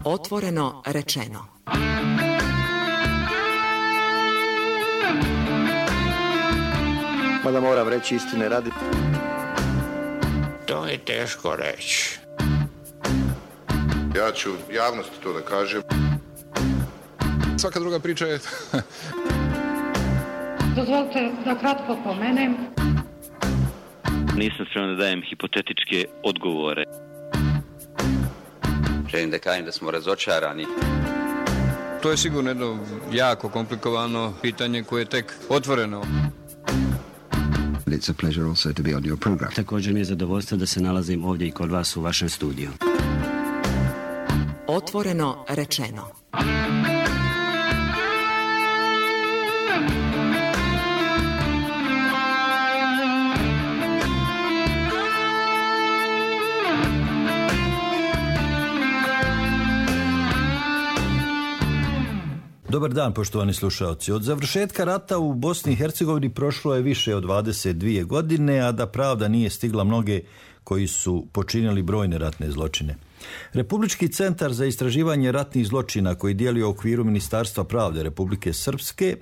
Otvoreno rečeno. Mada moram reći istine radi. To je teško reći. Ja ću javnosti to da kažem. Svaka druga priča je... Dozvolite da kratko pomenem. Nisam spreman da dajem hipotetičke odgovore. Želim da kažem da smo razočarani. To je sigurno jedno jako komplikovano pitanje koje je tek otvoreno. It's a pleasure also to be on your program. Također mi je zadovoljstvo da se nalazim ovdje i kod vas u vašem studiju. Otvoreno rečeno. Dobar dan, poštovani slušalci. Od završetka rata u Bosni i Hercegovini prošlo je više od 22 godine, a da pravda nije stigla mnoge koji su počinili brojne ratne zločine. Republički centar za istraživanje ratnih zločina, koji djeluje u okviru Ministarstva pravde Republike Srpske,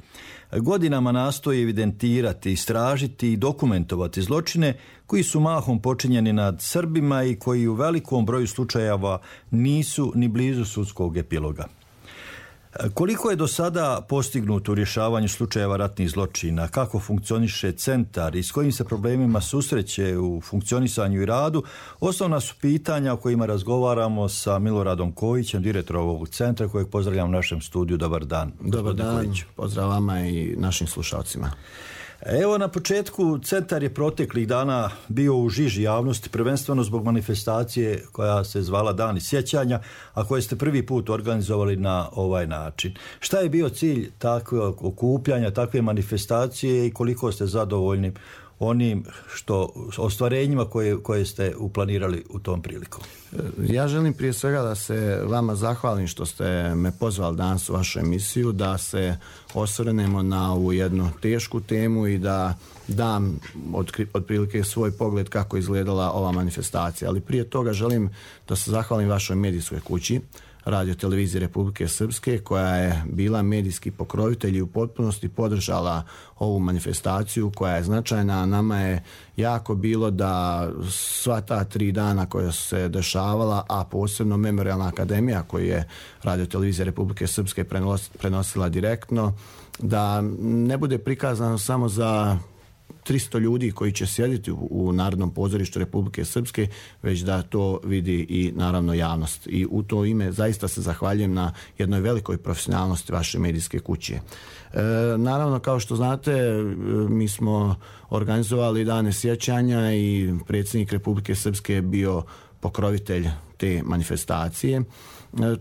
godinama nastoji evidentirati, istražiti i dokumentovati zločine koji su mahom počinjeni nad Srbima i koji u velikom broju slučajeva nisu ni blizu sudskog epiloga. Koliko je do sada postignuto u rješavanju slučajeva ratnih zločina, kako funkcioniše centar i s kojim se problemima susreće u funkcionisanju i radu, osnovna su pitanja o kojima razgovaramo sa Miloradom Kojićem, direktorom ovog centra, kojeg pozdravljam u našem studiju. Dobar dan. Dobar dan, pozdrav vama i našim slušalcima. Evo, na početku, centar je proteklih dana bio u žiži javnosti, prvenstveno zbog manifestacije koja se zvala Dani sjećanja, a koje ste prvi put organizovali na ovaj način. Šta je bio cilj takvog okupljanja, takve manifestacije i koliko ste zadovoljni onim ostvarenjima koje ste uplanirali u tom priliku? Ja želim prije svega da se vama zahvalim što ste me pozvali danas u vašu emisiju, da se osvrnemo na ovu jednu tešku temu i da dam otprilike svoj pogled kako je izgledala ova manifestacija. Ali prije toga želim da se zahvalim vašoj medijskoj kući, Radio televizije Republike Srpske, koja je bila medijski pokrovitelj i u potpunosti podržala ovu manifestaciju koja je značajna. Nama je jako bilo da sva ta 3 dana koja su se dešavala, a posebno Memorijalna akademija koju je Radio televizija Republike Srpske prenosila direktno, da ne bude prikazano samo za 300 ljudi koji će sjediti u Narodnom pozorištu Republike Srpske, već da to vidi i naravno javnost. I u to ime zaista se zahvaljujem na jednoj velikoj profesionalnosti vaše medijske kuće. Naravno, kao što znate, mi smo organizovali Dane sjećanja i predsjednik Republike Srpske je bio pokrovitelj te manifestacije.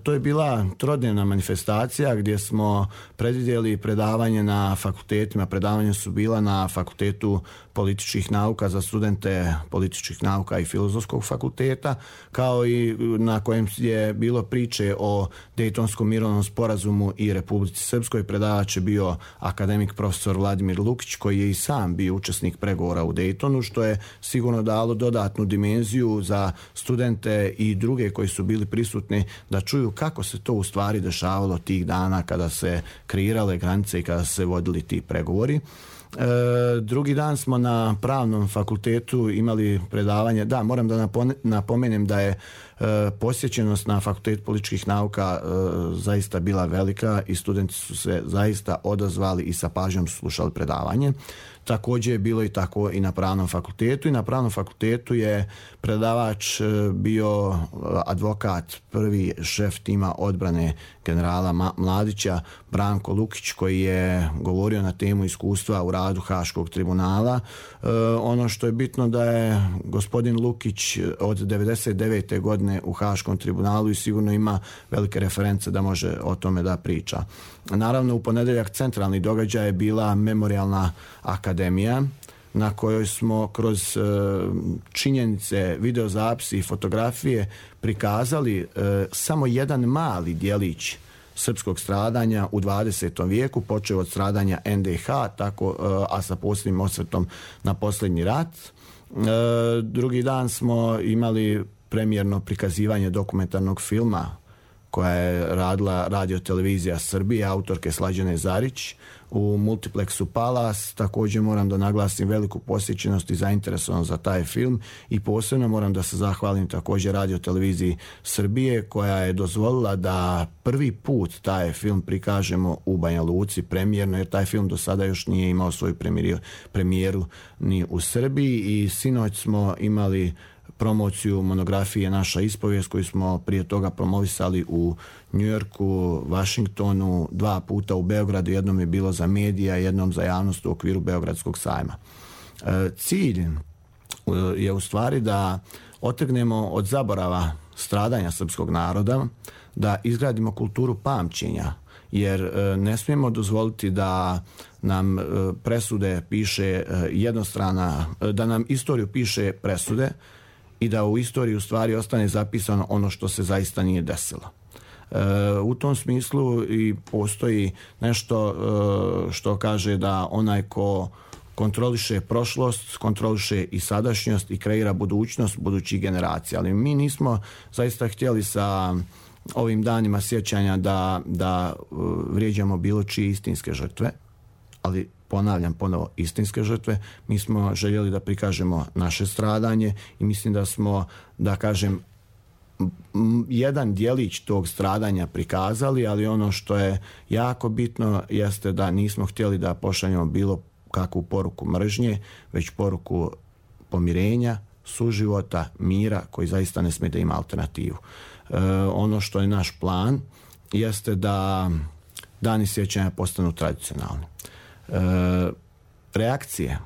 To je bila trodnevna manifestacija gdje smo predvidjeli predavanje na fakultetima. Predavanja su bila na Fakultetu političkih nauka za studente političkih nauka i Filozofskog fakulteta, kao i na kojem je bilo priče o Dejtonskom mirovnom sporazumu i Republici Srpskoj. Predavač je bio akademik profesor Vladimir Lukić, koji je i sam bio učesnik pregovora u Dejtonu, što je sigurno dalo dodatnu dimenziju za studente i druge koji su bili prisutni da čuju kako se to u stvari dešavalo tih dana kada se kreirale granice i kada se vodili ti pregovori. Drugi dan smo na Pravnom fakultetu imali predavanje. Da, moram da napomenem da je posjećenost na Fakultetu političkih nauka zaista bila velika i studenti su se zaista odazvali i sa pažnjom slušali predavanje. Također je bilo i tako i na Pravnom fakultetu. I na Pravnom fakultetu je predavač bio advokat, prvi šef tima odbrane generala Mladića, Branko Lukić, koji je govorio na temu iskustva u radu Haškog tribunala. Ono što je bitno da je gospodin Lukić od 99. godine u Haškom tribunalu i sigurno ima velike reference da može o tome da priča. Naravno, u ponedjeljak centralni događaj je bila Memorijalna akademija, na kojoj smo kroz činjenice, videozapisi i fotografije prikazali samo jedan mali djelić srpskog stradanja u 20. vijeku, počeo od stradanja NDH, tako, a sa posebnim osvrtom na posljednji rat. Drugi dan smo imali premijerno prikazivanje dokumentarnog filma koja je radila Radio-televizija Srbije, autorke Slađane Zarić, u Multiplexu Palace. Također moram da naglasim veliku posjećenost i zainteresovanost za taj film i posebno moram da se zahvalim također Radio-televiziji Srbije koja je dozvolila da prvi put taj film prikažemo u Banja Luci premijerno, jer taj film do sada još nije imao svoju premijeru ni u Srbiji i sinoć smo imali promociju monografije Naša ispovijest koju smo prije toga promovisali u Njujorku, Vašingtonu, 2 puta u Beogradu, jednom je bilo za medija, jednom za javnost u okviru Beogradskog sajma. Cilj je u stvari da otrgnemo od zaborava stradanja srpskog naroda, da izgradimo kulturu pamćenja, jer ne smijemo dozvoliti da nam presude piše jednostrana, da nam istoriju piše presude i da u istoriji u stvari ostane zapisano ono što se zaista nije desilo. U tom smislu i postoji nešto što kaže da onaj ko kontroliše prošlost, kontroliše i sadašnjost i kreira budućnost budućih generacija. Ali mi nismo zaista htjeli sa ovim danima sjećanja da vrijeđamo bilo čije istinske žrtve, ali ponavljam ponovo istinske žrtve. Mi smo željeli da prikažemo naše stradanje i mislim da smo, da kažem, jedan djelić tog stradanja prikazali, ali ono što je jako bitno jeste da nismo htjeli da pošaljemo bilo kakvu poruku mržnje, već poruku pomirenja, suživota, mira koji zaista ne smije da ima alternativu. Ono što je naš plan jeste da dani sjećanja postanu tradicionalni. Reakcije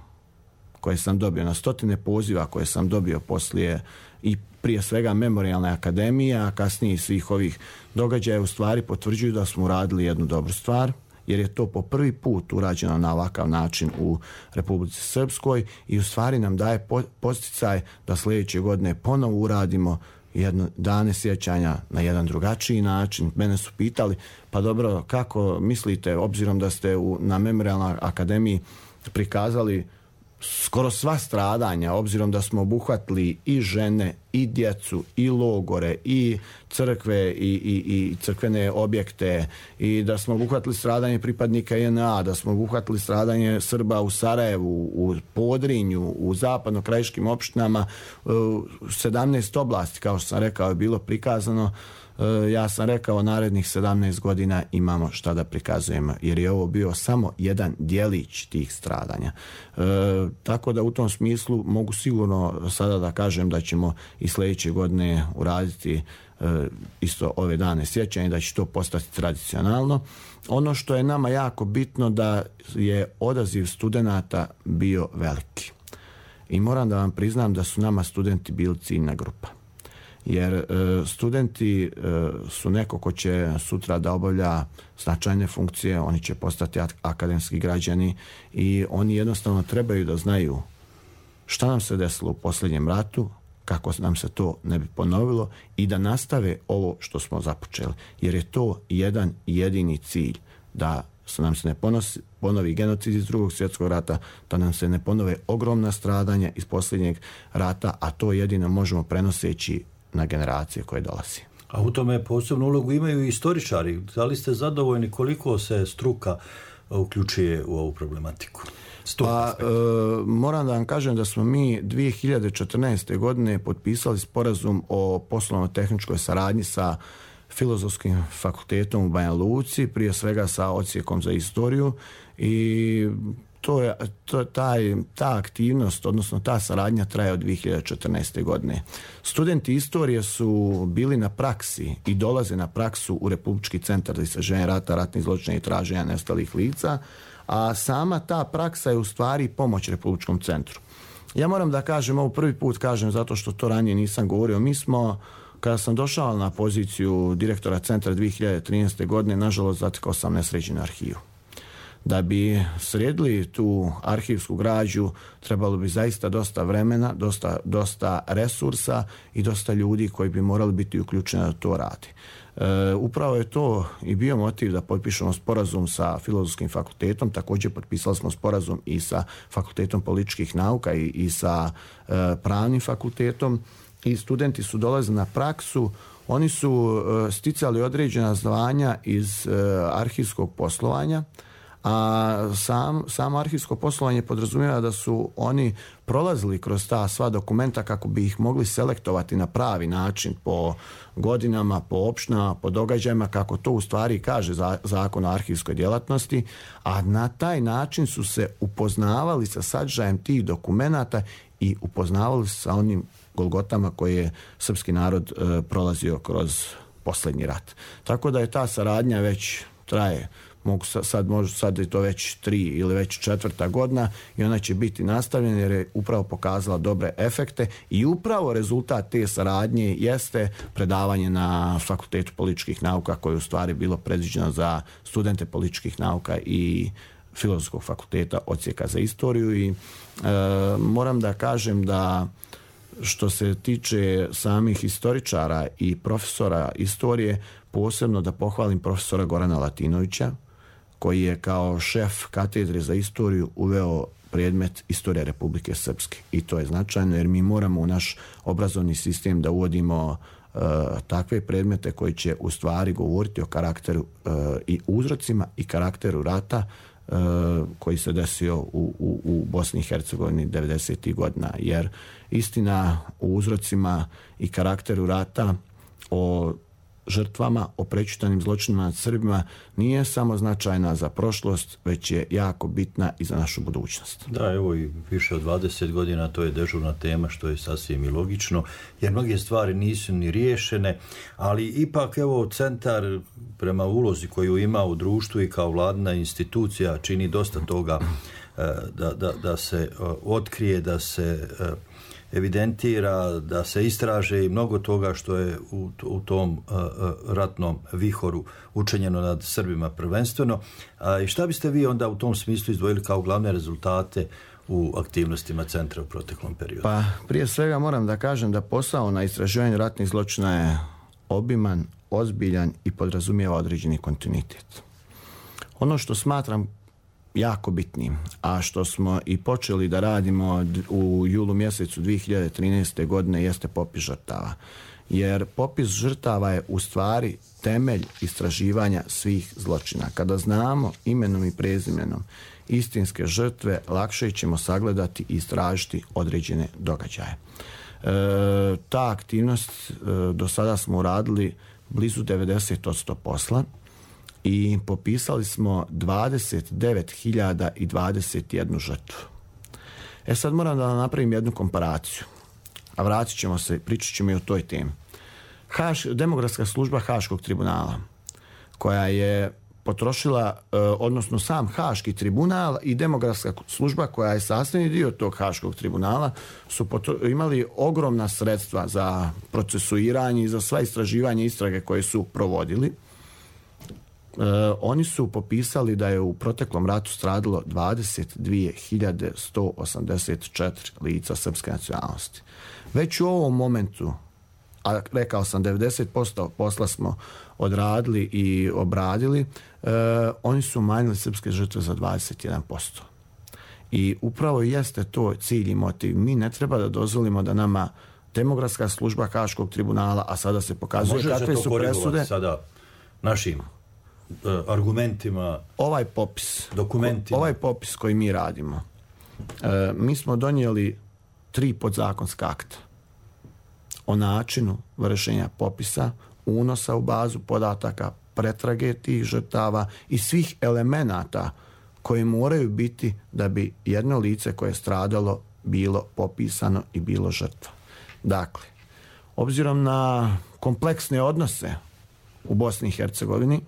koje sam dobio na stotine poziva koje sam dobio poslije i prije svega Memorijalne akademije, a kasnije svih ovih događaja u stvari potvrđuju da smo uradili jednu dobru stvar, jer je to po prvi put urađeno na ovakav način u Republici Srpskoj i u stvari nam daje podsticaj da sljedeće godine ponovo uradimo jedno dane sjećanja na jedan drugačiji način. Mene su pitali, pa dobro, kako mislite, obzirom da ste na Memorijalnoj akademiji prikazali skoro sva stradanja, obzirom da smo obuhvatili i žene, i djecu, i logore, i crkve, i crkvene objekte, i da smo obuhvatili stradanje pripadnika JNA, da smo obuhvatili stradanje Srba u Sarajevu, u Podrinju, u zapadno-krajiškim opštinama, 17 oblasti, kao što sam rekao, je bilo prikazano. Ja sam rekao, narednih 17 godina imamo šta da prikazujemo, jer je ovo bio samo jedan djelić tih stradanja. Tako da u tom smislu mogu sigurno sada da kažem da ćemo i sljedeće godine uraditi isto ove dane sjećanja i da će to postati tradicionalno. Ono što je nama jako bitno da je odaziv studenata bio veliki. I moram da vam priznam da su nama studenti bili ciljna grupa. Jer studenti su neko ko će sutra da obavlja značajne funkcije, oni će postati akademski građani i oni jednostavno trebaju da znaju šta nam se desilo u posljednjem ratu, kako nam se to ne bi ponovilo i da nastave ovo što smo započeli. Jer je to jedan jedini cilj, da nam se ne ponovi genocid iz Drugog svjetskog rata, da nam se ne ponove ogromna stradanja iz posljednjeg rata, a to jedino možemo prenoseći na generacije koje dolazi. A u tome posebnu ulogu imaju i istoričari. Da li ste zadovoljni koliko se struka uključuje u ovu problematiku? Moram da vam kažem da smo mi 2014. godine potpisali sporazum o poslovno-tehničkoj saradnji sa Filozofskim fakultetom u Banja Luci, prije svega sa odsjekom za istoriju i ta aktivnost, odnosno ta saradnja traje od 2014. godine. Studenti istorije su bili na praksi i dolaze na praksu u Republički centar za istraživanje rata, ratnih zločina i traženja nestalih lica, a sama ta praksa je u stvari pomoć Republičkom centru. Ja moram da kažem, ovo prvi put kažem zato što to ranije nisam govorio, mi smo, kada sam došao na poziciju direktora centra 2013. godine, nažalost zatekao sam nesređenu arhivu. Da bi sredili tu arhivsku građu trebalo bi zaista dosta vremena, dosta resursa i dosta ljudi koji bi morali biti uključeni da to radi. Upravo je to i bio motiv da potpišemo sporazum sa Filozofskim fakultetom, također potpisali smo sporazum i sa Fakultetom političkih nauka i sa Pravnim fakultetom i studenti su dolazili na praksu Oni su sticali određena zvanja iz arhivskog poslovanja, a samo arhivsko poslovanje podrazumijeva da su oni prolazili kroz ta sva dokumenta kako bi ih mogli selektovati na pravi način po godinama, po opštinama, po događajima, kako to u stvari kaže Zakon o arhivskoj djelatnosti, a na taj način su se upoznavali sa sadržajem tih dokumenata i upoznavali se sa onim golgotama koje je srpski narod prolazio kroz posljednji rat. Tako da je ta saradnja već traje. Sad je to već 3 ili već 4. godina i ona će biti nastavljena jer je upravo pokazala dobre efekte i upravo rezultat te saradnje jeste predavanje na Fakultetu političkih nauka koje je u stvari bilo predviđeno za studente političkih nauka i Filozofskog fakulteta odsjeka za istoriju i moram da kažem da što se tiče samih historičara i profesora istorije, posebno da pohvalim profesora Gorana Latinovića, koji je kao šef katedre za istoriju uveo predmet Istorija Republike Srpske. I to je značajno jer mi moramo u naš obrazovni sistem da uvodimo takve predmete koji će u stvari govoriti o karakteru i uzrocima i karakteru rata koji se desio u Bosni i Hercegovini 90. godina. Jer istina o uzrocima i karakteru rata, o žrtvama, o prečitanim zločinima nad Srbima nije samo značajna za prošlost, već je jako bitna i za našu budućnost. Da, evo i više od 20 godina to je dežurna tema, što je sasvim i logično, jer mnoge stvari nisu ni riješene, ali ipak evo centar prema ulozi koju ima u društvu i kao vladina institucija čini dosta toga da se otkrije, da se evidentira, da se istraže i mnogo toga što je u tom ratnom vihoru učinjeno nad Srbima prvenstveno. I šta biste vi onda u tom smislu izdvojili kao glavne rezultate u aktivnostima centra u proteklom periodu? Pa prije svega moram da kažem da posao na istraživanju ratnih zločina je obiman, ozbiljan i podrazumijeva određeni kontinuitet. Ono što smatram jako bitnim, a što smo i počeli da radimo u julu mjesecu 2013. godine jeste popis žrtava. Jer popis žrtava je u stvari temelj istraživanja svih zločina. Kada znamo imenom i prezimenom istinske žrtve, lakše ćemo sagledati i istražiti određene događaje. Ta aktivnost do sada smo uradili blizu 90% posla i popisali smo 29.021 žrtvu. Sad moram da napravim jednu komparaciju, a vratit ćemo se, pričat ćemo i o toj temi. Demografska služba Haškog tribunala, koja je potrošila, odnosno sam Haški tribunal i demografska služba koja je sastavni dio tog Haškog tribunala, su imali ogromna sredstva za procesuiranje i za sva istraživanja istrage koje su provodili. Oni su popisali da je u proteklom ratu stradalo 22.184 lica srpske nacionalnosti. Već u ovom momentu, a rekao sam 90% posla smo odradili i obradili, oni su umanjili srpske žrtve za 21%. I upravo jeste to cilj i motiv. Mi ne treba da dozvolimo da nama demografska služba Haškog tribunala, a sada se pokazuje kakve su presude. Sada našim argumentima, ovaj popis, dokumentima. Ovaj popis koji mi radimo, mi smo donijeli 3 podzakonska akta o načinu vršenja popisa, unosa u bazu podataka, pretrage tih žrtava i svih elemenata koji moraju biti da bi jedno lice koje je stradalo bilo popisano i bilo žrtva. Dakle, obzirom na kompleksne odnose u Bosni i Hercegovini,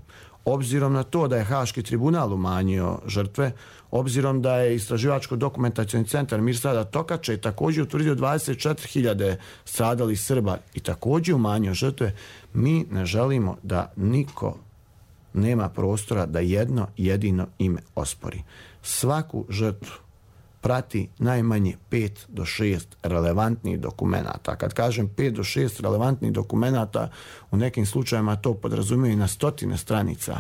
obzirom na to da je Haški tribunal umanjio žrtve, obzirom da je Istraživačko-dokumentacioni centar Mirsada Tokače također utvrdio 24.000 stradalih Srba i također umanjio žrtve, mi ne želimo da niko nema prostora da jedno jedino ime ospori. Svaku žrtvu prati najmanje 5 do 6 relevantnih dokumenata. Kad kažem 5 do 6 relevantnih dokumenata, u nekim slučajevima to podrazumije i na 100 stranica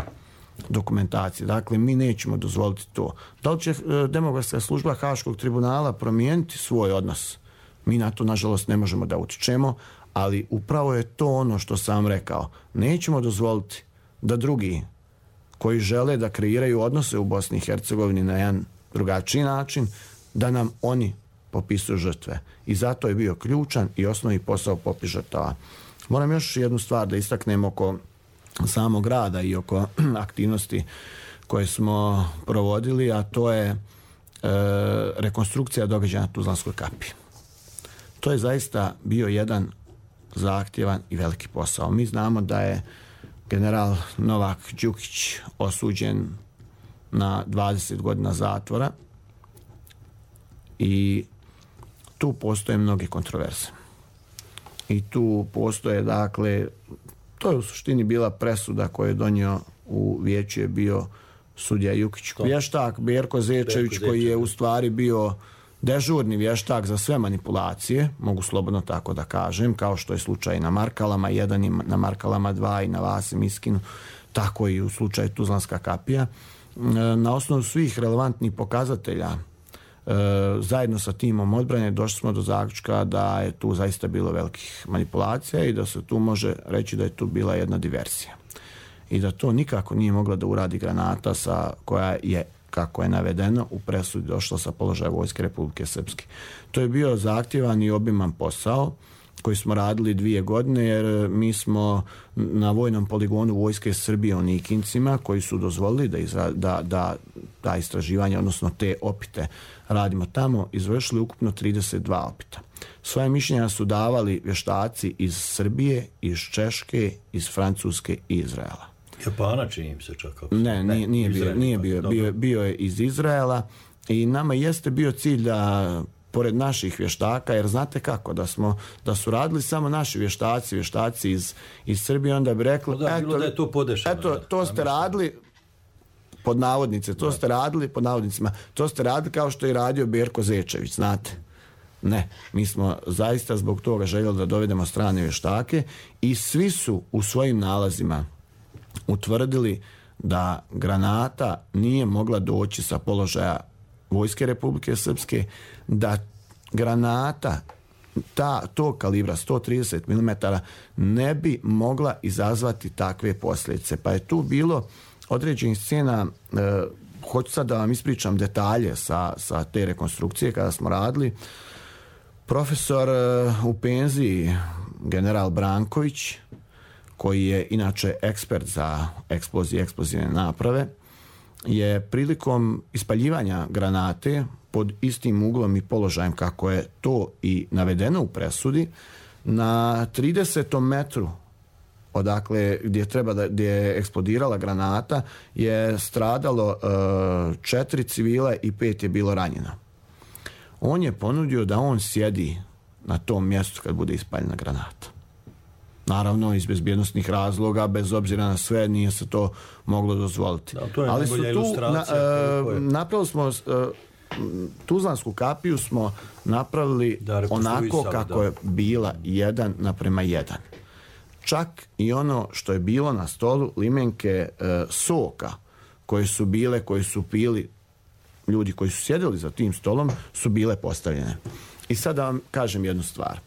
dokumentacije. Dakle, mi nećemo dozvoliti to. Da li će demografska služba Haškog tribunala promijeniti svoj odnos? Mi na to, nažalost, ne možemo da utičemo, Ali upravo je to ono što sam rekao. Nećemo dozvoliti da drugi koji žele da kreiraju odnose u Bosni i Hercegovini na jedan drugačiji način, da nam oni popisuju žrtve. I zato je bio ključan i osnovni posao popis žrtava. Moram još jednu stvar da istaknem oko samog rada i oko aktivnosti koje smo provodili, a to je rekonstrukcija događaja na Tuzlanskoj kapi. To je zaista bio jedan zahtjevan i veliki posao. Mi znamo da je general Novak Đukić osuđen na 20 godina zatvora i tu postoje mnoge kontroverze. I tu postoje, dakle, to je u suštini bila presuda koju je donio u vijeću je bio sudija Jukić. Vještak Berko Zečević koji je u stvari bio dežurni vještak za sve manipulacije, mogu slobodno tako da kažem, kao što je slučaj na Markalama 1 i na Markalama 2 i na Vasi Miskinu, tako i u slučaju Tuzlanska kapija. Na osnovu svih relevantnih pokazatelja zajedno sa timom odbrane došli smo do zaključka da je tu zaista bilo velikih manipulacija i da se tu može reći da je tu bila jedna diverzija. I da to nikako nije mogla da uradi granata koja je, kako je navedeno, u presudi došla sa položaja Vojske Republike Srpske. To je bio zahtjevan i obiman posao koji smo radili 2 godine, jer mi smo na vojnom poligonu Vojske Srbije u Nikincima, koji su dozvolili da istraživanje, odnosno te opite radimo tamo, izvršili ukupno 32 opita. Svoje mišljenja su davali vještaci iz Srbije, iz Češke, iz Francuske i Izraela. Japana čini im se čak. Ne, nije bio je iz Izraela i nama jeste bio cilj da pored naših vještaka, jer znate kako, da su radili samo naši vještaci iz Srbije, onda bi rekli, da je to podešeno. Eto, to ste radili, pod navodnice, to ste radili, pod navodnicima, to ste radili kao što je radio Berko Zečević, znate. Ne, mi smo zaista zbog toga željeli da dovedemo strane vještake i svi su u svojim nalazima utvrdili da granata nije mogla doći sa položaja Vojske Republike Srpske, da granata tog kalibra 130 mm ne bi mogla izazvati takve posljedice. Pa je tu bilo određenih scena, hoću sad da vam ispričam detalje sa te rekonstrukcije kada smo radili. Profesor u penziji, general Branković, koji je inače ekspert za eksplozije i eksplozivne naprave, je prilikom ispaljivanja granate pod istim uglom i položajem kako je to i navedeno u presudi, na 30. metru odakle gdje je eksplodirala granata je stradalo 4 civila i 5 je bilo ranjeno. On je ponudio da on sjedi na tom mjestu kad bude ispaljena granata. Naravno, iz bezbjednostnih razloga, bez obzira na sve, nije se to moglo dozvoliti. Da, to je najbolja ilustracija. Napravili smo Tuzlansku kapiju smo napravili onako kako je bila 1:1. Čak i ono što je bilo na stolu, limenke soka koje su pili ljudi koji su sjedili za tim stolom, su bile postavljene. I sad da vam kažem jednu stvar.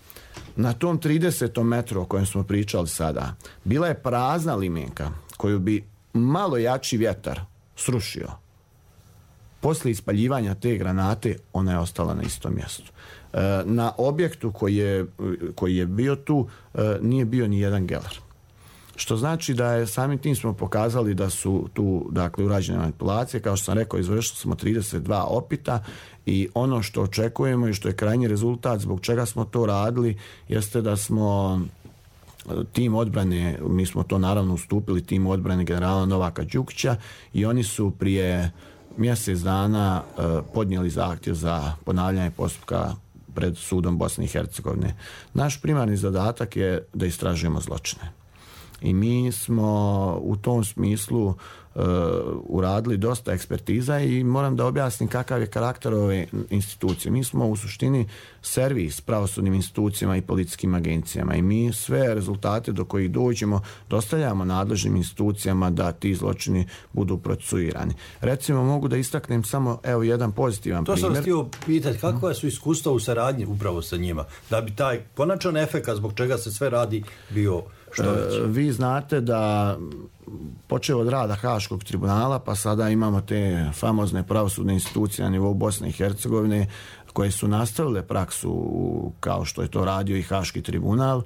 Na tom 30. metru o kojem smo pričali sada, bila je prazna limenka koju bi malo jači vjetar srušio. Poslije ispaljivanja te granate ona je ostala na istom mjestu. Na objektu koji je bio tu nije bio ni jedan gelar. Što znači da je samim tim smo pokazali da su tu urađene manipulacije. Kao što sam rekao, izvršili smo 32 opita i ono što očekujemo i što je krajnji rezultat zbog čega smo to radili jeste da smo tim odbrane, mi smo to naravno ustupili tim odbrane generala Novaka Đukića i oni su prije mjesec dana podnijeli zahtjev za ponavljanje postupka pred sudom Bosne i Hercegovine. Naš primarni zadatak je da istražujemo zločine. I mi smo u tom smislu uradili dosta ekspertiza i moram da objasnim kakav je karakter ove institucije. Mi smo u suštini servis pravosudnim institucijama i policijskim agencijama i mi sve rezultate do kojih dođemo dostavljamo nadležnim institucijama da ti zločini budu procesuirani. Recimo, mogu da istaknem samo jedan pozitivan primjer. To sam htio pitati, kakva su iskustva u saradnji upravo sa njima, da bi taj konačan efekat zbog čega se sve radi bio što veći? Vi znate da počeo od rada Haškog tribunala, pa sada imamo te famozne pravosudne institucije na nivou Bosne i Hercegovine koje su nastavile praksu kao što je to radio i Haški tribunal.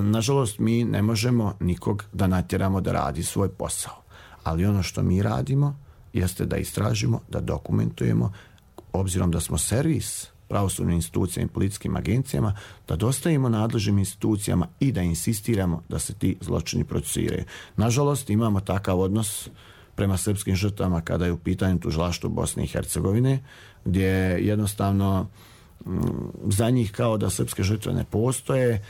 Nažalost, mi ne možemo nikog da natjeramo da radi svoj posao. Ali ono što mi radimo jeste da istražimo, da dokumentujemo, obzirom da smo servis pravosudnim institucijama i policijskim agencijama, da dostavimo nadležnim institucijama i da insistiramo da se ti zločini procesuiraju. Nažalost, imamo takav odnos prema srpskim žrtvama kada je u pitanju tužilaštvo Bosne i Hercegovine, gdje jednostavno za njih kao da srpske žrtve ne postoje,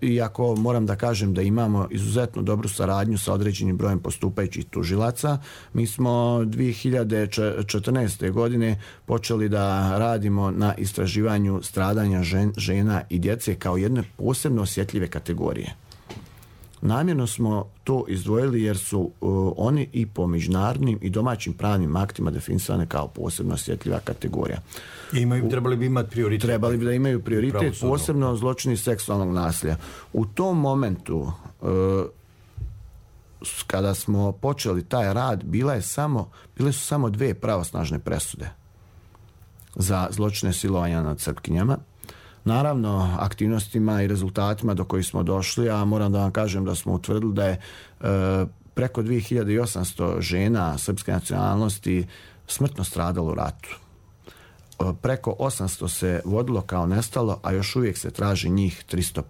iako moram da kažem da imamo izuzetno dobru saradnju sa određenim brojem postupajućih tužilaca. Mi smo 2014. godine počeli da radimo na istraživanju stradanja žena i djece kao jedne posebno osjetljive kategorije. Namjerno smo to izdvojili jer su oni i po međunarodnim i domaćim pravnim aktima definisane kao posebno osjetljiva kategorija. Trebali bi imati prioritet. Trebali bi da imaju prioritet, posebno zločini seksualnog nasilja. U tom momentu, kada smo počeli taj rad, bile su samo 2 pravosnažne presude za zločine silovanja nad Srpkinjama. Naravno, aktivnostima i rezultatima do kojih smo došli, a moram da vam kažem da smo utvrdili da je preko 2800 žena srpske nacionalnosti smrtno stradalo u ratu. Preko 800 se vodilo kao nestalo, a još uvijek se traži njih 315.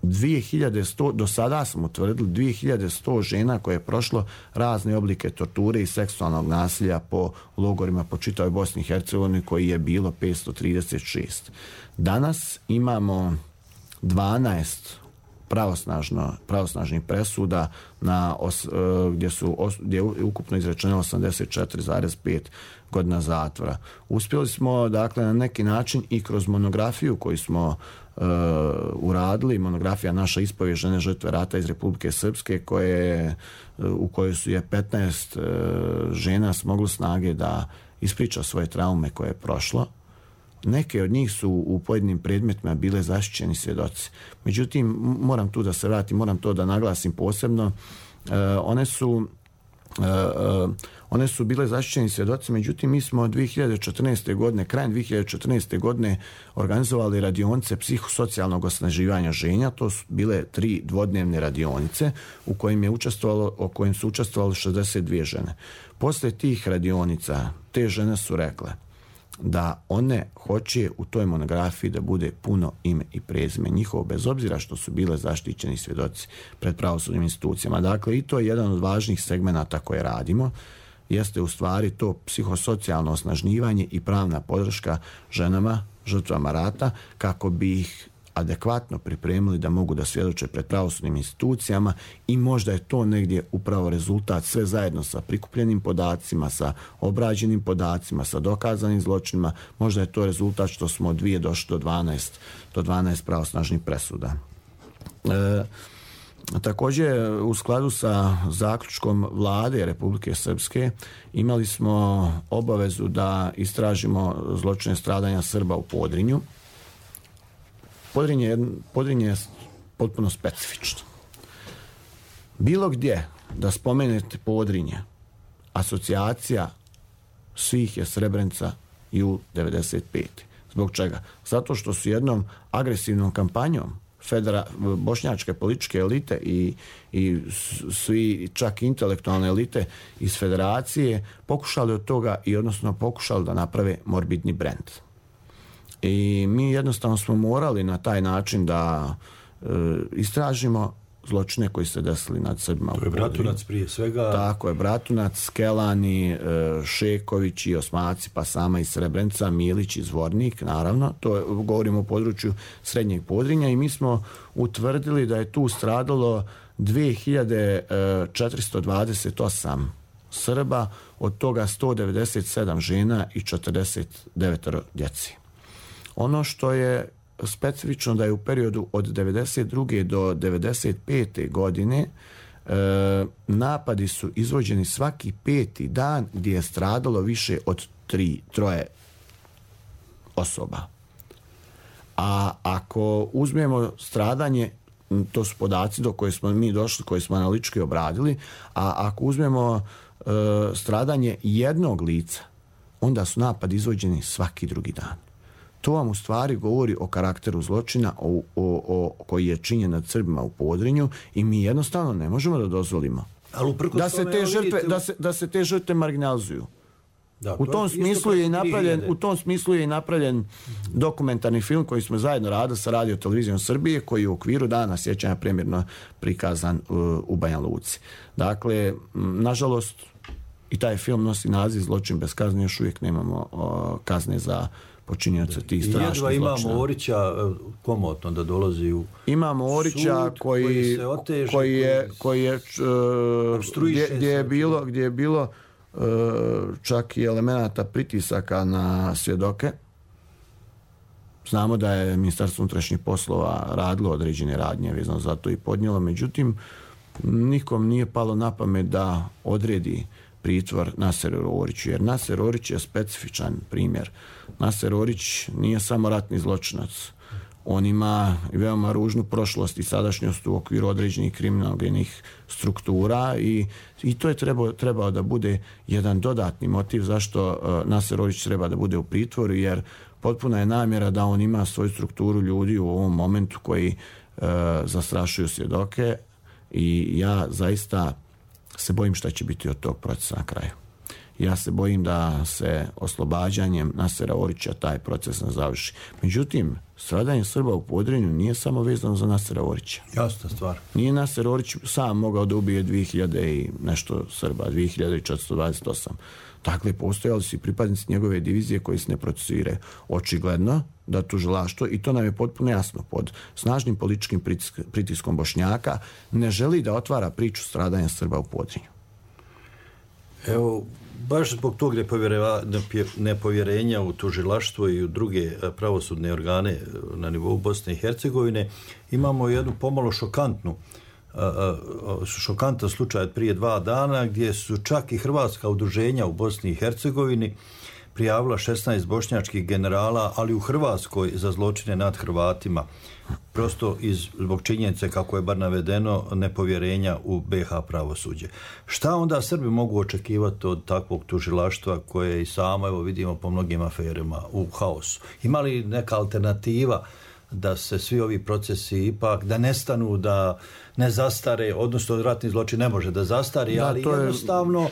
2100, do sada smo utvrdili 2100 žena koje je prošlo razne oblike torture i seksualnog nasilja po logorima po čitavoj Bosni i Hercegovini, koji je bilo 536. Danas imamo 12 pravosnažnih presuda gdje je ukupno izrečeno 84,5 godina zatvora. Uspjeli smo, dakle, na neki način i kroz monografiju koju smo uradili, monografija Naša ispovijest žene žrtve rata iz Republike Srpske, u kojoj su je 15 žena smoglo snage da ispriča svoje traume koje je prošlo. Neke od njih su u pojedinim predmetima bile zaštićeni svjedoci. Međutim, moram tu da se vratim, moram to da naglasim posebno. One su bile zaštićeni svjedoci, međutim mi smo 2014. godine, krajem 2014. godine organizovali radionice psihosocijalnog osnaživanja žena. To su bile 3 dvodnevne radionice u kojim su učestvovali 62 žene. Poslije tih radionica te žene su rekle da one hoće u toj monografiji da bude puno ime i prezime njihovo, bez obzira što su bile zaštićeni svjedoci pred pravosudnim institucijama. Dakle, i to je jedan od važnih segmenata koje radimo, jeste u stvari to psihosocijalno osnaživanje i pravna podrška ženama, žrtvama rata, kako bi ih adekvatno pripremili da mogu da svjedoče pred pravosudnim institucijama, i možda je to negdje upravo rezultat, sve zajedno sa prikupljenim podacima, sa obrađenim podacima, sa dokazanim zločinima, možda je to rezultat što smo od 2 došli do 12 pravosnažnih presuda. Također, u skladu sa zaključkom Vlade Republike Srpske, imali smo obavezu da istražimo zločine stradanja Srba u Podrinju. Podrinje je potpuno specifično. Bilo gdje da spomenete Podrinje, asocijacija svih je Srebrenica jul 95. Zbog čega? Zato što su jednom agresivnom kampanjom bošnjačke političke elite i svi čak intelektualne elite iz federacije pokušali od toga pokušali da naprave morbidni brend. I mi jednostavno smo morali na taj način da istražimo zločine koji se desili nad Srbima. To je Bratunac prije svega. Tako je, Bratunac, Skelani, Šeković i Osmaci, pa sama i Srebrenica, Milić i Zvornik, naravno. To je, govorimo o području Srednjeg Podrinja i mi smo utvrdili da je tu stradalo 2428 Srba, od toga 197 žena i 49 djeci. Ono što je specifično da je u periodu od 92. do 95. godine napadi su izvođeni svaki 5. dan gdje je stradalo više od 3 osoba. A ako uzmemo stradanje, to su podaci do koje smo mi došli, koje smo analitički obradili, a ako uzmemo stradanje jednog lica, onda su napadi izvođeni svaki drugi dan. To vam u stvari govori o karakteru zločina koji je činjen nad Srbima u Podrinju i mi jednostavno ne možemo da dozvolimo da se te žrtve marginalizuju. Da, u tom smislu je i napravljen dokumentarni film koji smo zajedno radili sa Radio televizijom Srbije, koji je u okviru Dana sjećanja premjerno prikazan u Banja Luci. Dakle, nažalost, i taj film nosi naziv Zločin bez kazne, još uvijek nemamo kazne za počinioca tih strašnih zločina. Imamo Orića komotno da dolazi u imamo Orića sud, koji se oteže, gdje je bilo čak i elemenata pritisaka na svjedoke. Znamo da je Ministarstvo unutrašnjih poslova radilo određene radnje vezano za to i podnijelo, međutim nikom nije palo na pamet da odredi pritvor Naseru Oriću, jer Naser Orić je specifičan primjer. Naser Orić nije samo ratni zločinac. On ima veoma ružnu prošlost i sadašnjost u okviru određenih kriminalnih struktura i to je trebao da bude jedan dodatni motiv zašto Naser Orić treba da bude u pritvoru, jer potpuna je namjera da on ima svoju strukturu ljudi u ovom momentu koji zastrašuju svjedoke i ja zaista se bojim šta će biti od tog procesa na kraju. Ja se bojim da se oslobađanjem Nasera Orića taj proces ne završi. Međutim, stradanje Srba u Podrinju nije samo vezano za Nasera Orića. Jasna stvar. Nije Naser Orić sam mogao da ubije 2000 i nešto Srba, 2428. Dakle, postojali su i pripadnici njegove divizije koji se ne procesuiraju. Očigledno da tužilaštvo, i to nam je potpuno jasno, pod snažnim političkim pritiskom Bošnjaka, ne želi da otvara priču stradanja Srba u Podrinju. Evo, baš zbog tog nepovjerenja u tužilaštvo i u druge pravosudne organe na nivou Bosne i Hercegovine imamo jednu pomalo šokantan slučaj od prije 2 dana gdje su čak i hrvatska udruženja u Bosni i Hercegovini prijavila 16 bošnjačkih generala, ali u Hrvatskoj za zločine nad Hrvatima. Prosto zbog činjenice, kako je bar navedeno, nepovjerenja u BiH pravosuđe. Šta onda Srbi mogu očekivati od takvog tužilaštva koje i samo, evo vidimo po mnogim aferima, u haosu? Ima li neka alternativa da se svi ovi procesi ipak, da nestanu, da ne zastare, odnosno ratni zločin ne može da zastari, ali jednostavno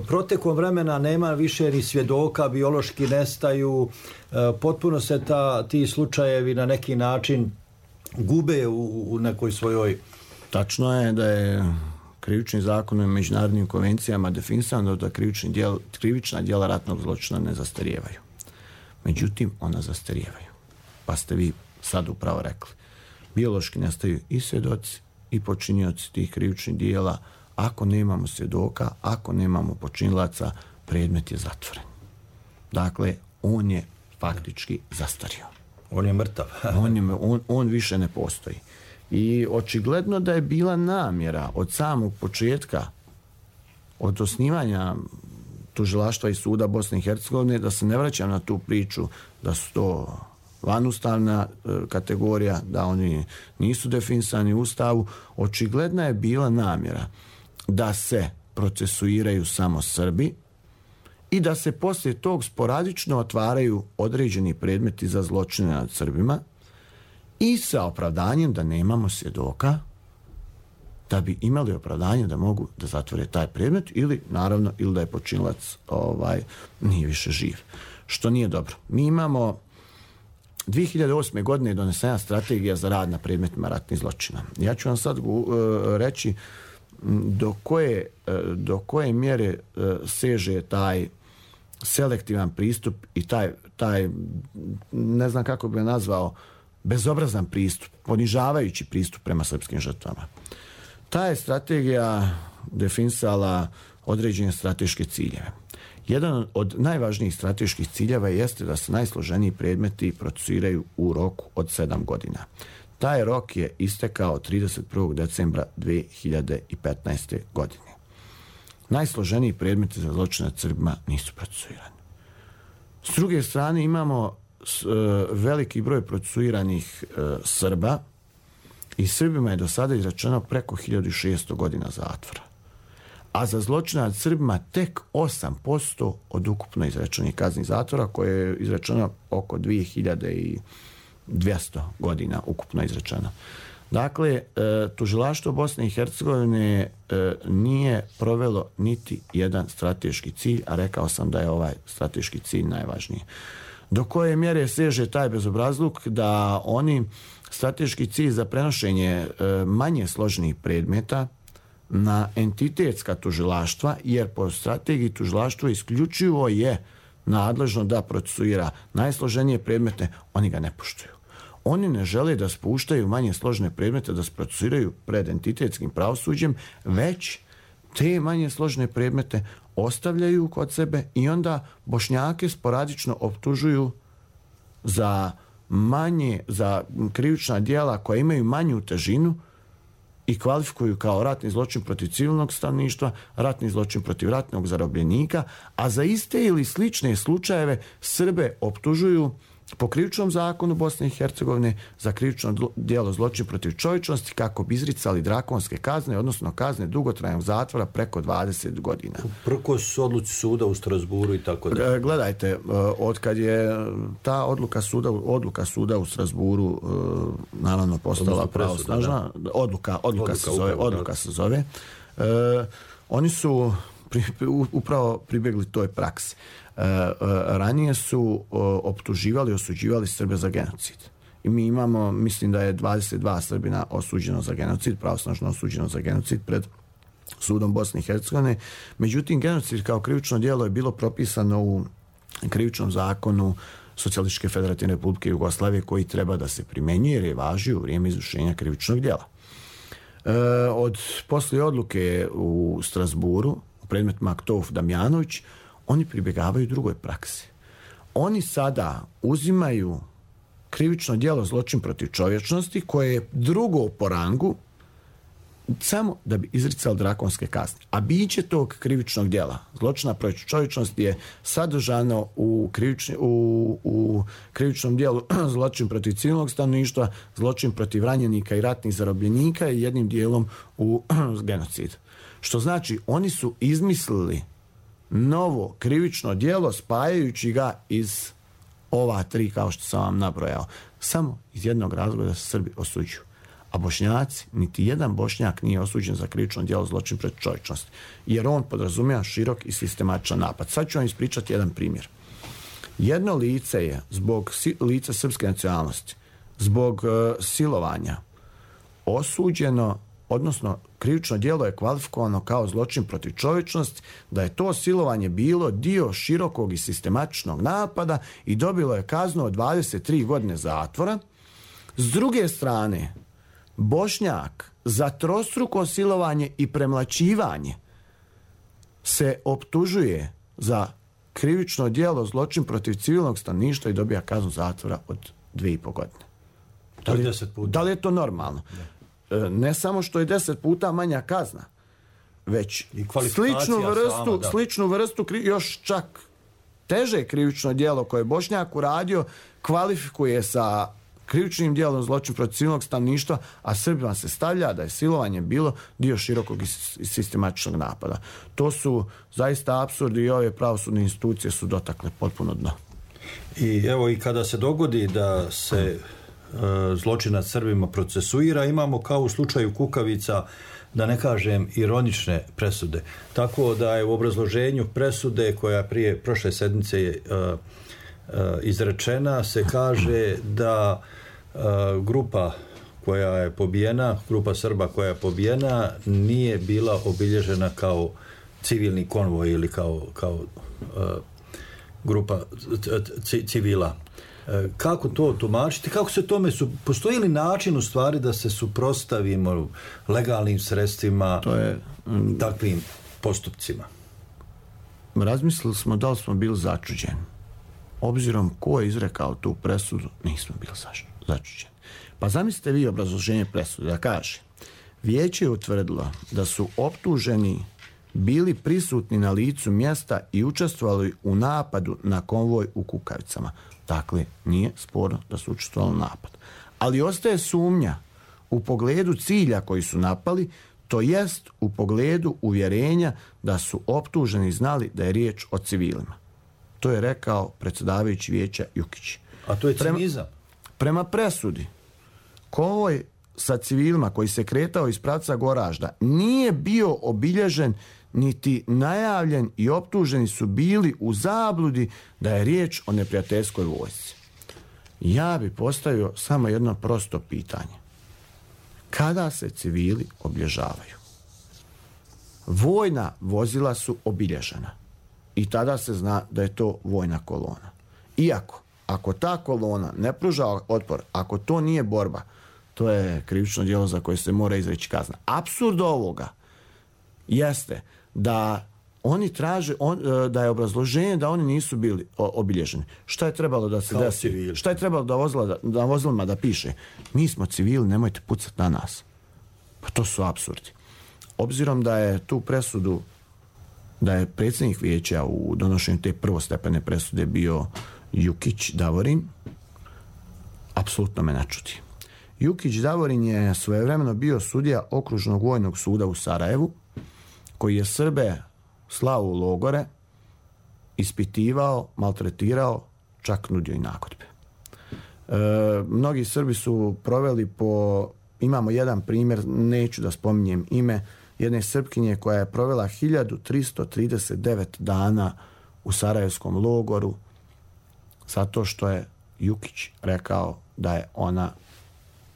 protekom vremena nema više ni svjedoka, biološki nestaju, potpuno se ti slučajevi na neki način gube u nekoj svojoj... Tačno je da je krivični zakon i međunarodnim konvencijama definisano da krivična djela ratnog zločina ne zastarijevaju. Međutim, ona zastarijevaju. Pa ste vi sad upravo rekli. Biološki nestaju i svjedoci i počinioci tih krivičnih djela. Ako nemamo svjedoka, ako nemamo počinilaca, predmet je zatvoren. Dakle, on je faktički zastario. On je mrtav. on više ne postoji. I očigledno da je bila namjera od samog početka, od osnivanja tužilaštva i suda Bosne i Hercegovine, da se ne vraćam na tu priču da su to vanustavna kategorija, da oni nisu definisani u Ustavu. Očigledna je bila namjera da se procesuiraju samo Srbi i da se poslije tog sporadično otvaraju određeni predmeti za zločine nad Srbima i sa opravdanjem da nemamo svjedoka, da bi imali opravdanje da mogu da zatvore taj predmet ili da je počinilac nije više živ. Što nije dobro. Mi imamo 2008. godine je donesena strategija za rad na predmetima ratnih zločina. Ja ću vam sad reći do koje mjere seže taj selektivan pristup i taj ne znam kako bi ga nazvao, bezobrazan pristup, ponižavajući pristup prema srpskim žrtvama. Ta je strategija definisala određene strateške ciljeve. Jedan od najvažnijih strateških ciljeva jeste da se najsloženiji predmeti procesuiraju u roku od 7 godina. Taj rok je istekao 31. decembra 2015. godine. Najsloženiji predmeti za zločine nad Srbima nisu procesuirani. S druge strane imamo veliki broj procesuiranih Srba i Srbima je do sada izrečeno preko 1600 godina zatvora. A za zločine nad Srbima tek 8% od ukupno izrečenih kaznih zatvora, koje je izrečeno oko 2200 godina ukupno izrečeno. Dakle, tužilaštvo Bosne i Hercegovine nije provelo niti jedan strateški cilj, a rekao sam da je ovaj strateški cilj najvažniji. Do koje mjere seže taj bezobrazluk da oni strateški cilj za prenošenje manje složenih predmeta na entitetska tužilaštva, jer po strategiji tužilaštvo isključivo je nadležno da procesuira najsloženije predmete, oni ga ne poštuju. Oni ne žele da spuštaju manje složene predmete, da se procesuiraju pred entitetskim pravosuđem, već te manje složene predmete ostavljaju kod sebe i onda Bošnjake sporadično optužuju za krivična djela koja imaju manju težinu i kvalifikuju kao ratni zločin protiv civilnog stanovništva, ratni zločin protiv ratnog zarobljenika, a za iste ili slične slučajeve Srbe optužuju po krivičnom zakonu Bosne i Hercegovine za krivično djelo zločin protiv čovječnosti kako bi izricali drakonske kazne, odnosno kazne dugotrajnog zatvora preko 20 godina. Prkos odluci suda u Strasburu i tako da. Gledajte, otkad je ta odluka suda u Strasburu naravno postala pravosnažna, odluka se zove. Oni su upravo pribjegli toj praksi. Ranije su optuživali, osuđivali Srbe za genocid. I mi imamo, mislim da je 22 Srbina osuđeno za genocid, pravosnažno osuđeno za genocid pred sudom Bosne i Hercegovine. Međutim, genocid kao krivično djelo je bilo propisano u krivičnom zakonu Socijalističke federativne republike Jugoslavije, koji treba da se primjenjuje jer je važio u vrijeme izvršenja krivičnog djela. Od poslije odluke u Strasburu u predmetima Aktov Damjanović, oni pribjegavaju drugoj praksi. Oni sada uzimaju krivično djelo zločin protiv čovječnosti, koje je drugo po rangu, samo da bi izricali drakonske kazne. A biće tog krivičnog djela zločina protiv čovječnosti je sadržano u krivičnom djelu zločin protiv civilnog stanovništva, zločin protiv ranjenika i ratnih zarobljenika i jednim dijelom u genocid. Što znači, oni su izmislili novo krivično djelo spajajući ga iz ova tri, kao što sam vam nabrojao, samo iz jednog razloga da se Srbi osuđuju. A Bošnjaci, niti jedan Bošnjak nije osuđen za krivično djelo zločin protiv čovječnosti, jer on podrazumijeva širok i sistematičan napad. Sad ću vam ispričati jedan primjer. Jedno lice je zbog lica srpske nacionalnosti, zbog silovanja osuđeno, odnosno krivično djelo je kvalifikovano kao zločin protiv čovječnosti, da je to silovanje bilo dio širokog i sistematičnog napada i dobilo je kaznu od 23 godine zatvora. S druge strane, Bošnjak za trostruko silovanje i premlaćivanje se optužuje za krivično djelo zločin protiv civilnog stanovništva i dobija kaznu zatvora od 2,5 godine. Da li je to normalno? Ne samo što je 10 puta manja kazna, već sličnu vrstu još čak teže krivično djelo koje je Bošnjak uradio kvalifikuje sa krivičnim djelom zločin protiv civilnog stanovništva, a Srbima se stavlja da je silovanje bilo dio širokog i sistematičnog napada. To su zaista apsurdi i ove pravosudne institucije su dotakle potpuno dno. I evo, i kada se dogodi da se zločin nad Srbima procesuira, imamo kao u slučaju Kukavica, da ne kažem ironične presude. Tako da je u obrazloženju presude koja prije prošle sedmice je izrečena se kaže da grupa koja je pobijena, grupa Srba koja je pobijena nije bila obilježena kao civilni konvoj ili kao grupa civila. Kako to tumačiti? Kako se tome postoji li način u stvari da se suprotstavimo legalnim sredstvima takvim postupcima? Razmislili smo da li smo bili začuđeni. Obzirom ko je izrekao tu presudu, nismo bili začuđeni. Pa zamislite vi obrazloženje presude da kaže: vijeće je utvrdilo da su optuženi bili prisutni na licu mjesta i učestvovali u napadu na konvoj u Kukavicama. Dakle, nije sporno da su učestvovali u napadu. Ali ostaje sumnja u pogledu cilja koji su napali, to jest u pogledu uvjerenja da su optuženi znali da je riječ o civilima. To je rekao predsjedavajući vijeća Jukić. A to je cinizam. Prema presudi, konvoj sa civilima koji se kretao iz pravca Goražda nije bio obilježen niti najavljen i optuženi su bili u zabludi da je riječ o neprijateljskoj vojsci. Ja bi postavio samo jedno prosto pitanje. Kada se civili obilježavaju? Vojna vozila su obilježena i tada se zna da je to vojna kolona. Iako, ako ta kolona ne pruža otpor, ako to nije borba, to je krivično djelo za koje se mora izreći kazna. Apsurd ovoga jeste da oni traže, da je obrazloženje da oni nisu bili obilježeni. Šta je trebalo da se desi? Šta je trebalo da vozilima da piše? Mi smo civili, nemojte pucati na nas. Pa to su apsurdi. Obzirom da je tu presudu, da je predsjednik vijeća u donošenju te prvostepene presude bio Jukić Davorin, apsolutno me ne čudi. Jukić Davorin je svojevremeno bio sudija Okružnog vojnog suda u Sarajevu, koji je Srbe slao u logore, ispitivao, maltretirao, čak nudio i nagodbe. Mnogi Srbi su proveli imamo jedan primjer, neću da spominjem ime, jedne Srpkinje koja je provela 1339 dana u Sarajevskom logoru zato što je Jukić rekao da je ona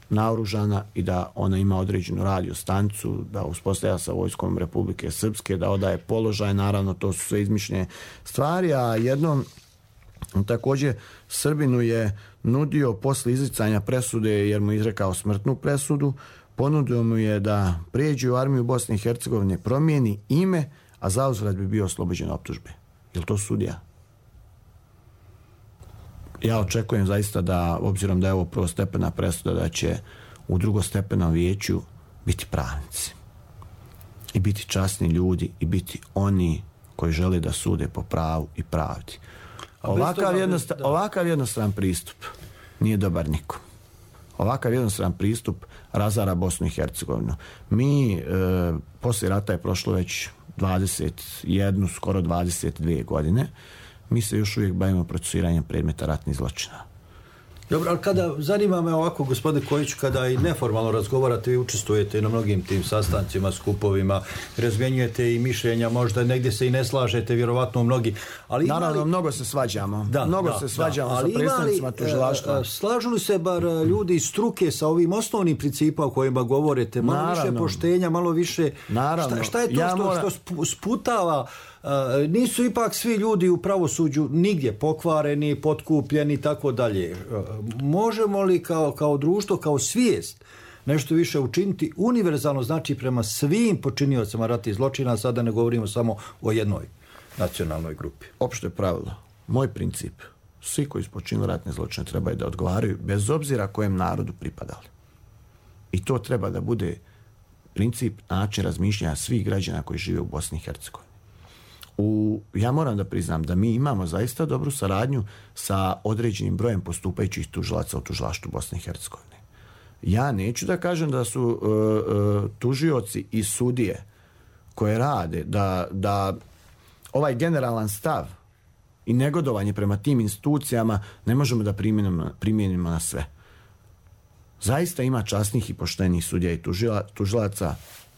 naoružana i da ona ima određenu radio stanicu, da uspostavlja sa vojskom Republike Srpske, da odaje položaj, naravno to su sve izmišljene stvari, a jednom također Srbinu je nudio posle izricanja presude, jer mu izrekao smrtnu presudu, ponudio mu je da prijeđe u armiju Bosne i Hercegovine, promijeni ime, a zauzvrat bi bio oslobođen optužbe. Je li to sudija? Ja očekujem zaista da, obzirom da je ovo prvostepena presuda, da će u drugostepenom vijeću biti pravnici. I biti časni ljudi i biti oni koji žele da sude po pravu i pravdi. Ovakav jednostran pristup nije dobar nikom. Ovakav jednostran pristup razara Bosnu i Hercegovinu. Mi, poslije rata je prošlo već 21, skoro 22 godine. Mi se još uvijek bavimo procesuiranjem predmeta ratnih zločina. Dobro, ali kada, zanima me ovako, gospodine Kojić, kada i neformalno razgovarate, vi učestvujete na mnogim tim sastancima, skupovima, razmjenjujete i mišljenja, možda negdje se i ne slažete, vjerovatno mnogi. Ali naravno, mnogo se svađamo. Se svađamo sa predstavnicima tužilaštva. Slažu li se bar ljudi iz struke sa ovim osnovnim principima o kojima govorite? Malo više poštenja, malo više... Naravno. Šta je to što sputava? Nisu ipak svi ljudi u pravosuđu nigdje pokvareni, potkupljeni i tako dalje. Možemo li kao društvo, kao svijest nešto više učiniti univerzalno, znači prema svim počiniocima ratnih zločina, sada ne govorimo samo o jednoj nacionalnoj grupi? Opšte pravilo, moj princip, svi koji su počinili ratne zločine trebaju da odgovaraju bez obzira kojem narodu pripadali. I to treba da bude princip, način razmišljanja svih građana koji žive u Bosni i Hercegovini. Ja moram da priznam da mi imamo zaista dobru saradnju sa određenim brojem postupajućih tužilaca u tužilaštvu Bosne i Hercegovine. Ja neću da kažem da su tužioci i sudije koje rade, da ovaj generalan stav i negodovanje prema tim institucijama ne možemo da primijenimo na sve. Zaista ima časnih i poštenih sudija i tužilaca,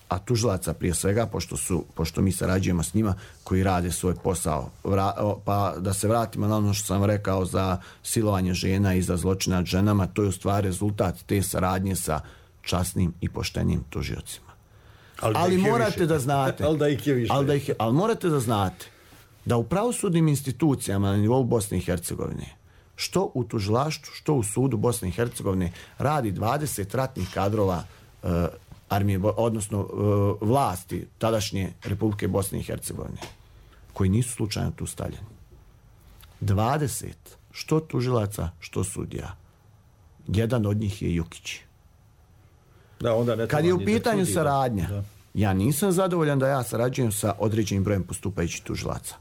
a tužilaca prije svega, pošto mi sarađujemo s njima koji rade svoj posao. Pa da se vratimo na ono što sam rekao za silovanje žena i za zločine nad ženama, to je u stvari rezultat te saradnje sa časnim i poštenim tužiocima. Ali morate da znate, ali morate da znate da u pravosudnim institucijama na nivou Bosne i Hercegovine, što u tužilaštvu, što u sudu Bosne i Hercegovine, radi 20 ratnih kadrova armije, odnosno vlasti tadašnje Republike Bosne i Hercegovine, koji nisu slučajno tu stavljeni. 20, što tužilaca, što sudija. Jedan od njih je Jukić. Kad je u pitanju saradnja, ja nisam zadovoljan da ja sarađujem sa određenim brojem postupajućih tužilaca.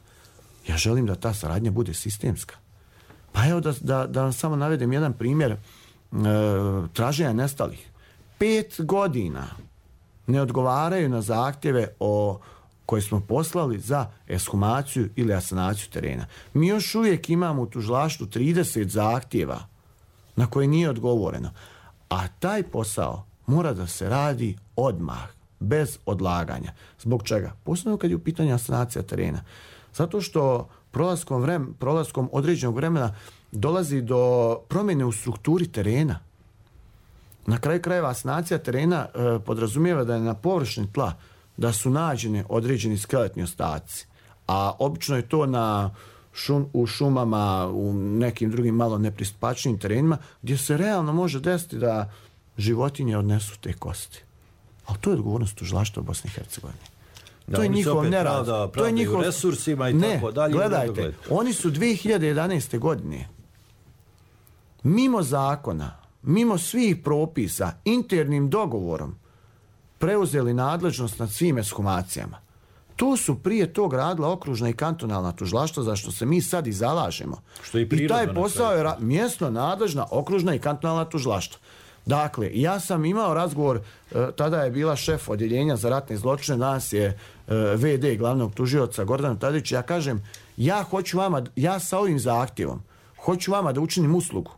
Ja želim da ta saradnja bude sistemska. Pa evo da vam samo navedem jedan primjer traženja nestalih. 5 godina ne odgovaraju na zahtjeve koje smo poslali za ekshumaciju ili asanaciju terena. Mi još uvijek imamo u tužilaštvu 30 zahtjeva na koje nije odgovoreno. A taj posao mora da se radi odmah, bez odlaganja. Zbog čega? Posebno kad je u pitanju asanacija terena. Zato što prolaskom određenog vremena dolazi do promjene u strukturi terena. Na kraju krajeva asanacija terena podrazumijeva da je na površini tla da su nađeni određeni skeletni ostaci. A obično je to u šumama, u nekim drugim malo nepristupačnijim terenima, gdje se realno može desiti da životinje odnesu te kosti. Ali to je odgovornost tužilaštva Bosne i Hercegovine. To je njihov nerad. To je njihov resursima i tako dalje. Gledajte, oni su 2011. godine mimo zakona, mimo svih propisa, internim dogovorom preuzeli nadležnost nad svim ekshumacijama. To su prije tog radila okružna i kantonalna tužilaštva, za što se mi sad i zalažemo. I taj posao je mjesno nadležna okružna i kantonalna tužilaštva. Dakle, ja sam imao razgovor, tada je bila šef odjeljenja za ratne zločine, danas je VD glavnog tužioca Gordana Tadić. Ja kažem, ja sa ovim zahtjevom hoću vama da učinim uslugu.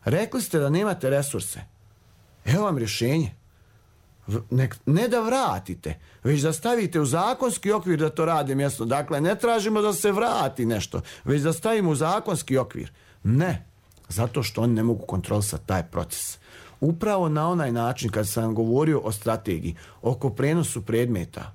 Rekli ste da nemate resurse. Evo vam rješenje. Ne da vratite, već da stavite u zakonski okvir da to rade mjesto. Dakle, ne tražimo da se vrati nešto, već da stavimo u zakonski okvir. Ne, zato što oni ne mogu kontrolisati taj proces. Upravo na onaj način, kad sam govorio o strategiji, oko prenosu predmeta,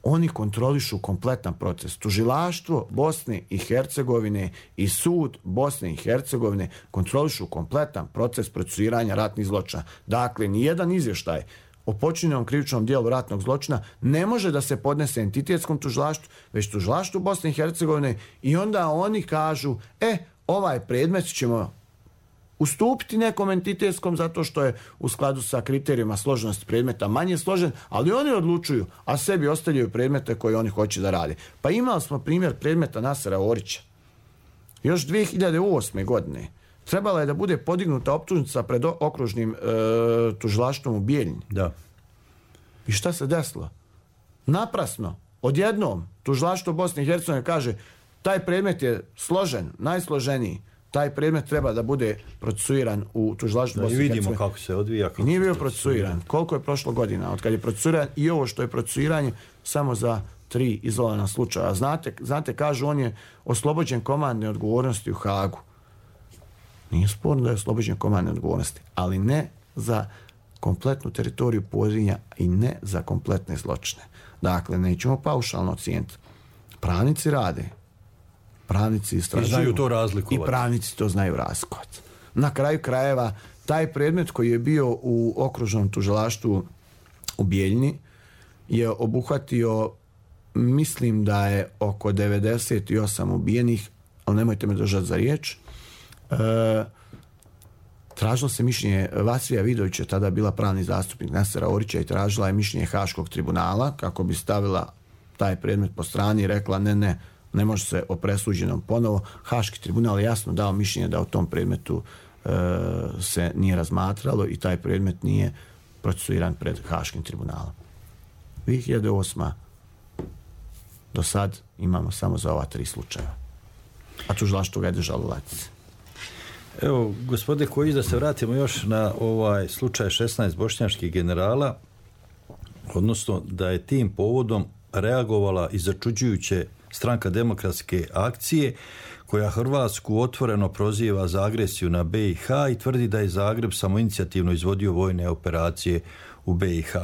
oni kontrolišu kompletan proces. Tužilaštvo Bosne i Hercegovine i sud Bosne i Hercegovine kontrolišu kompletan proces procesuiranja ratnih zločina. Dakle, nijedan izvještaj o počinjenom krivičnom dijelu ratnog zločina ne može da se podnese entitetskom tužilaštvu, već tužilaštvu Bosne i Hercegovine, i onda oni kažu, ovaj predmet ćemo ustupiti nekom entitetskom zato što je u skladu sa kriterijima složenosti predmeta manje složen, ali oni odlučuju, a sebi ostavljaju predmete koje oni hoće da rade. Pa imali smo primjer predmeta Nasera Orića. Još 2008. godine trebala je da bude podignuta optužnica pred okružnim tužilaštvom u Bijeljini. Da. I šta se desilo? Naprasno, odjednom, tužilaštvo Bosne i Hercegovine kaže, taj predmet je složen, najsloženiji. Taj predmet treba da bude procesuiran u tužilaštvu Bosne i Hercegovine. I vidimo kako se odvija. I nije bio procesuiran. Koliko je prošlo godina od kad je procesuiran, i ovo što je procesuiranje samo za 3 izolovana slučaja. Znate, kažu, on je oslobođen komandne odgovornosti u Hagu. Nije sporno da je oslobođen komandne odgovornosti, ali ne za kompletnu teritoriju Podrinja i ne za kompletne zločine. Dakle, nećemo paušalno ocijeniti. Pravnici rade. Pravnici istražuju to razlikovati. I pravnici to znaju razlikovati. Na kraju krajeva, taj predmet koji je bio u okružnom tužilaštvu u Bijeljini je obuhvatio, mislim da je oko 98 ubijenih, ali nemojte me držati za riječ. Tražilo se mišljenje Vasija Vidovića, tada bila pravni zastupnik Nasera Orića, i tražila je mišljenje Haškog tribunala kako bi stavila taj predmet po strani i rekla ne može se o presuđenom ponovo. Haški tribunal je jasno dao mišljenje da o tom predmetu se nije razmatralo i taj predmet nije procesuiran pred Haškim tribunalom. 2008. do sad imamo samo za ova 3 slučaja. A tužilaštvo ga je držalo u ladici. Evo, gospode Kojić, da se vratimo još na ovaj slučaj 16 bošnjačkih generala. odnosno da je tim povodom reagovala i začuđujuće Stranka demokratske akcije, koja Hrvatsku otvoreno proziva za agresiju na BiH i tvrdi da je Zagreb samoinicijativno izvodio vojne operacije u BiH.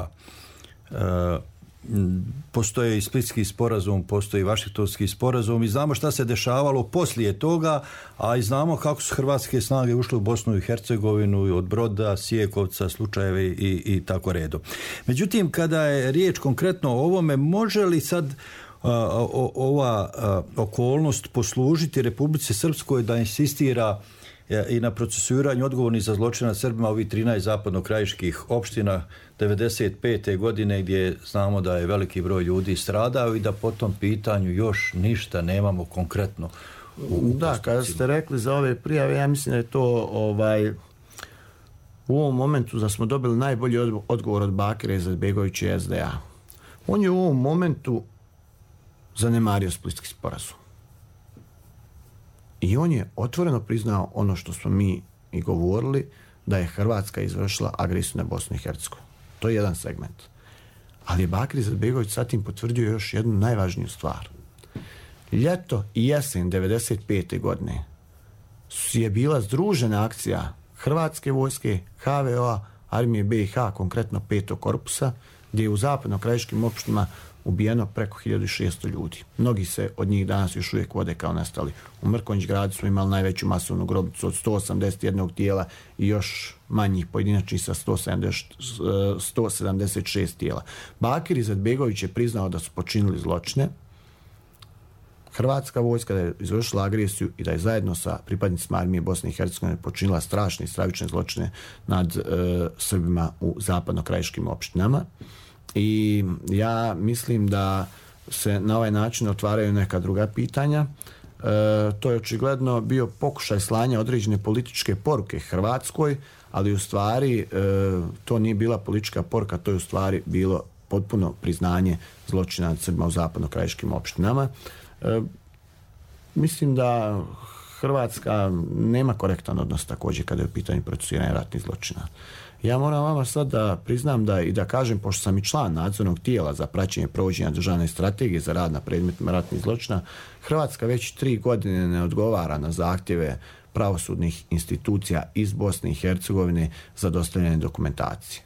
Postoje i Splitski sporazum, postoji i Vašingtonski sporazum i znamo šta se dešavalo poslije toga, a i znamo kako su hrvatske snage ušle u Bosnu i Hercegovinu od Broda, Sijekovca, slučajeve i tako redom. Međutim, kada je riječ konkretno o ovome, može li sad ova okolnost poslužiti Republici Srpskoj da insistira i na procesuiranju odgovornih za zločine nad Srbima ovih 13 zapadno-krajiških opština 95. godine, gdje znamo da je veliki broj ljudi stradao i da po tom pitanju još ništa nemamo konkretno Da, kada ste rekli za ove prijave, ja mislim da je to u ovom momentu da smo dobili najbolji odgovor od Bakira Izetbegovića i SDA. On je u ovom momentu zanemario Splitski sporazum. I on je otvoreno priznao ono što smo mi i govorili, da je Hrvatska izvršila agresiju na Bosnu i Hercegovinu. To je jedan segment. Ali je Bakir Izetbegović sad tim potvrdio još jednu najvažniju stvar. Ljeto i jesen 95. godine je bila združena akcija Hrvatske vojske, HVO-a, armije BiH, konkretno 5. korpusa, gdje je u zapadno-krajiškim opštinama ubijeno preko 1600 ljudi. Mnogi se od njih danas još uvijek vode kao nestali. U Mrkonjić gradu smo imali najveću masovnu grobnicu od 181 tijela i još manjih pojedinačnih sa 176 tijela. Bakir Izetbegović je priznao da su počinili zločine. Hrvatska vojska da je izvršila agresiju i da je zajedno sa pripadnicima armije Bosne i Hercegovine počinila strašne i stravične zločine nad Srbima u zapadno-krajiškim opštinama. I ja mislim da se na ovaj način otvaraju neka druga pitanja. To je očigledno bio pokušaj slanja određene političke poruke Hrvatskoj, ali u stvari to nije bila politička poruka, to je u stvari bilo potpuno priznanje zločina nad Srbima u zapadno-krajiškim opštinama. Mislim da Hrvatska nema korektan odnos također kada je u pitanju procesuiranja ratnih zločina. Ja moram vama sad da priznam da i da kažem, pošto sam i član nadzornog tijela za praćenje provođenja državne strategije za rad na predmetima ratnih zločina, Hrvatska već 3 godine ne odgovara na zahtjeve pravosudnih institucija iz Bosne i Hercegovine za dostavljanje dokumentacije.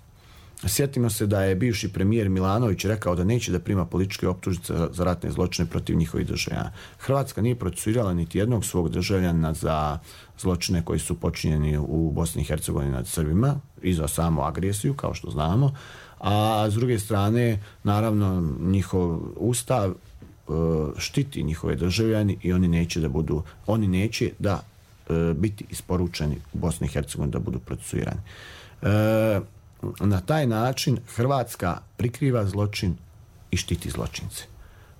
Sjetimo se da je bivši premijer Milanović rekao da neće da prima političke optužnice za ratne zločine protiv njihovih državljana. Hrvatska nije procesuirala niti jednog svog državljana za zločine koji su počinjeni u Bosni i Hercegovini nad Srbima i za samu agresiju, kao što znamo. A s druge strane, naravno, njihov ustav štiti njihove državljani i oni neće da biti isporučeni u Bosni i Hercegovini da budu procesuirani. Na taj način Hrvatska prikriva zločin i štiti zločince,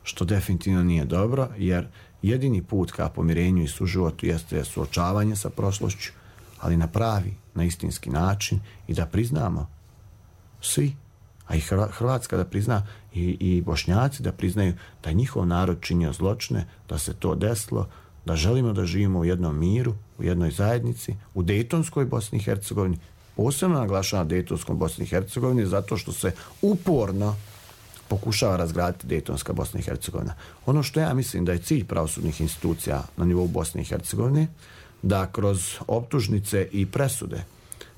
što definitivno nije dobro, jer jedini put ka pomirenju i suživotu jeste suočavanje sa prošlošću, ali na pravi, na istinski način i da priznamo svi, a i Hrvatska da prizna i Bošnjaci da priznaju da je njihov narod činio zločine, da se to desilo, da želimo da živimo u jednom miru, u jednoj zajednici, u Dejtonskoj Bosni i Hercegovini. Posebno naglašava Dejtonskom Bosni i Hercegovini zato što se uporno pokušava razgraditi Dejtonska Bosna i Hercegovina. Ono što ja mislim da je cilj pravosudnih institucija na nivou Bosne i Hercegovine, da kroz optužnice i presude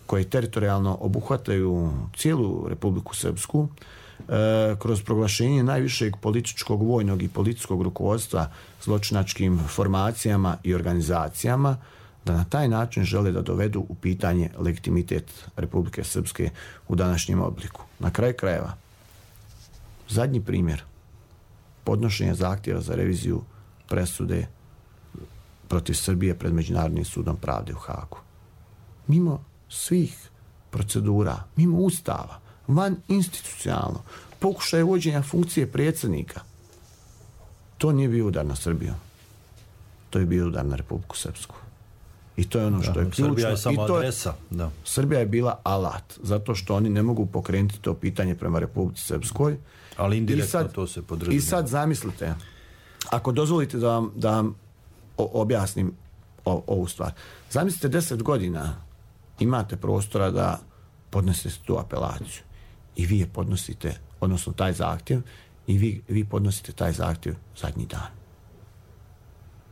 koje teritorijalno obuhvataju cijelu Republiku Srpsku, kroz proglašenje najvišeg političkog, vojnog i policijskog rukovodstva zločinačkim formacijama i organizacijama, da na taj način žele da dovedu u pitanje legitimitet Republike Srpske u današnjem obliku. Na kraju krajeva, zadnji primjer, podnošenje zahtjeva za reviziju presude protiv Srbije pred Međunarodnim sudom pravde u Hagu. Mimo svih procedura, mimo ustava, van institucionalno, pokušaj vođenja funkcije predsjednika, to nije bio udar na Srbiju. To je bio udar na Republiku Srpsku. I to je ono što je ključno. Srbija je samo adresa. Da. Srbija je bila alat, zato što oni ne mogu pokrenuti to pitanje prema Republici Srpskoj. Ali indirektno to se podrazumijeva. I sad zamislite, ako dozvolite da vam objasnim ovu stvar. Zamislite 10 godina imate prostora da podnesete tu apelaciju. I vi je podnosite odnosno taj zahtjev, i vi podnosite taj zahtjev zadnji dan.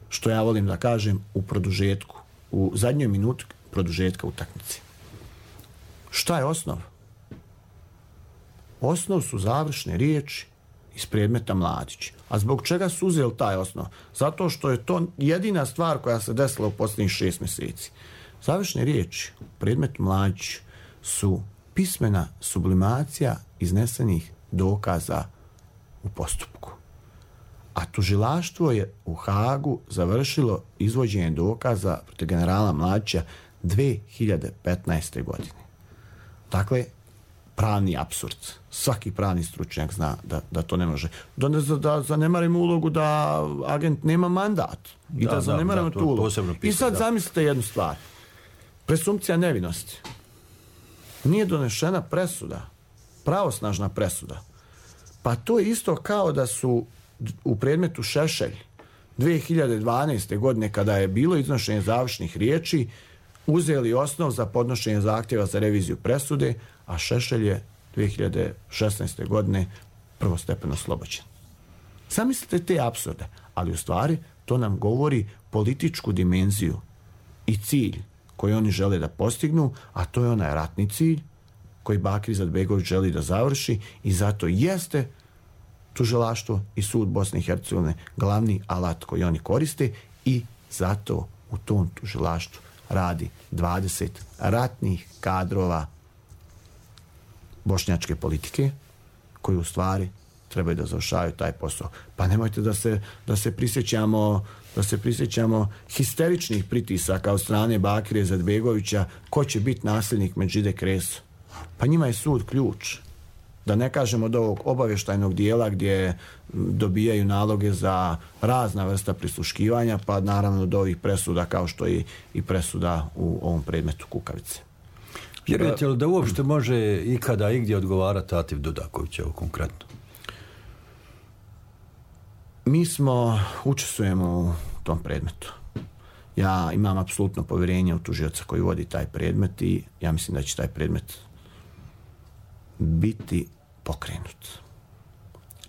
Što ja volim da kažem u produžetku, u zadnjoj minuti produžetka utakmice. Šta je osnov? Osnov su završne riječi iz predmeta Mladić. A zbog čega su uzeli taj osnov? Zato što je to jedina stvar koja se desila u posljednjih 6 mjeseci. Završne riječi u predmetu Mladić su pismena sublimacija iznesenih dokaza u postupku. A tužilaštvo je u Hagu završilo izvođenje dokaza protiv generala Mladića 2015. godine. Dakle, pravni apsurd. Svaki pravni stručnjak zna da to ne može. Da zanemarimo ulogu da agent nema mandat. I da zanemarimo tu ulogu. I sad zamislite jednu stvar. Presumpcija nevinosti. Nije donešena presuda. Pravosnažna presuda. Pa to je isto kao da su u predmetu Šešelj 2012. godine, kada je bilo iznošenje završnih riječi, uzeli osnov za podnošenje zahtjeva za reviziju presude, a Šešelj je 2016. godine prvostepeno oslobođen. Zamislite te apsurde, ali u stvari to nam govori političku dimenziju i cilj koji oni žele da postignu, a to je onaj ratni cilj koji Bakir Izetbegović želi da završi, i zato jeste tužilaštvo i sud Bosne i Hercegovine glavni alat koji oni koriste, i zato u tom tužilaštvu radi 20 ratnih kadrova bošnjačke politike koji u stvari trebaju da završavaju taj posao. Pa nemojte da se prisjećamo histeričnih pritisaka od strane Bakira Izetbegovića ko će biti nasljednik Medžide Kreso. Pa njima je sud ključ. Da ne kažemo od ovog obavještajnog dijela gdje dobijaju naloge za razna vrsta prisluškivanja, pa naravno do ovih presuda kao što je i presuda u ovom predmetu Kukavice. Vjerujete li da uopšte može ikada i gdje odgovarati Atif Dudaković, evo konkretno? Mi učestvujemo u tom predmetu. Ja imam apsolutno povjerenje u tužioca koji vodi taj predmet i ja mislim da će taj predmet biti pokrenut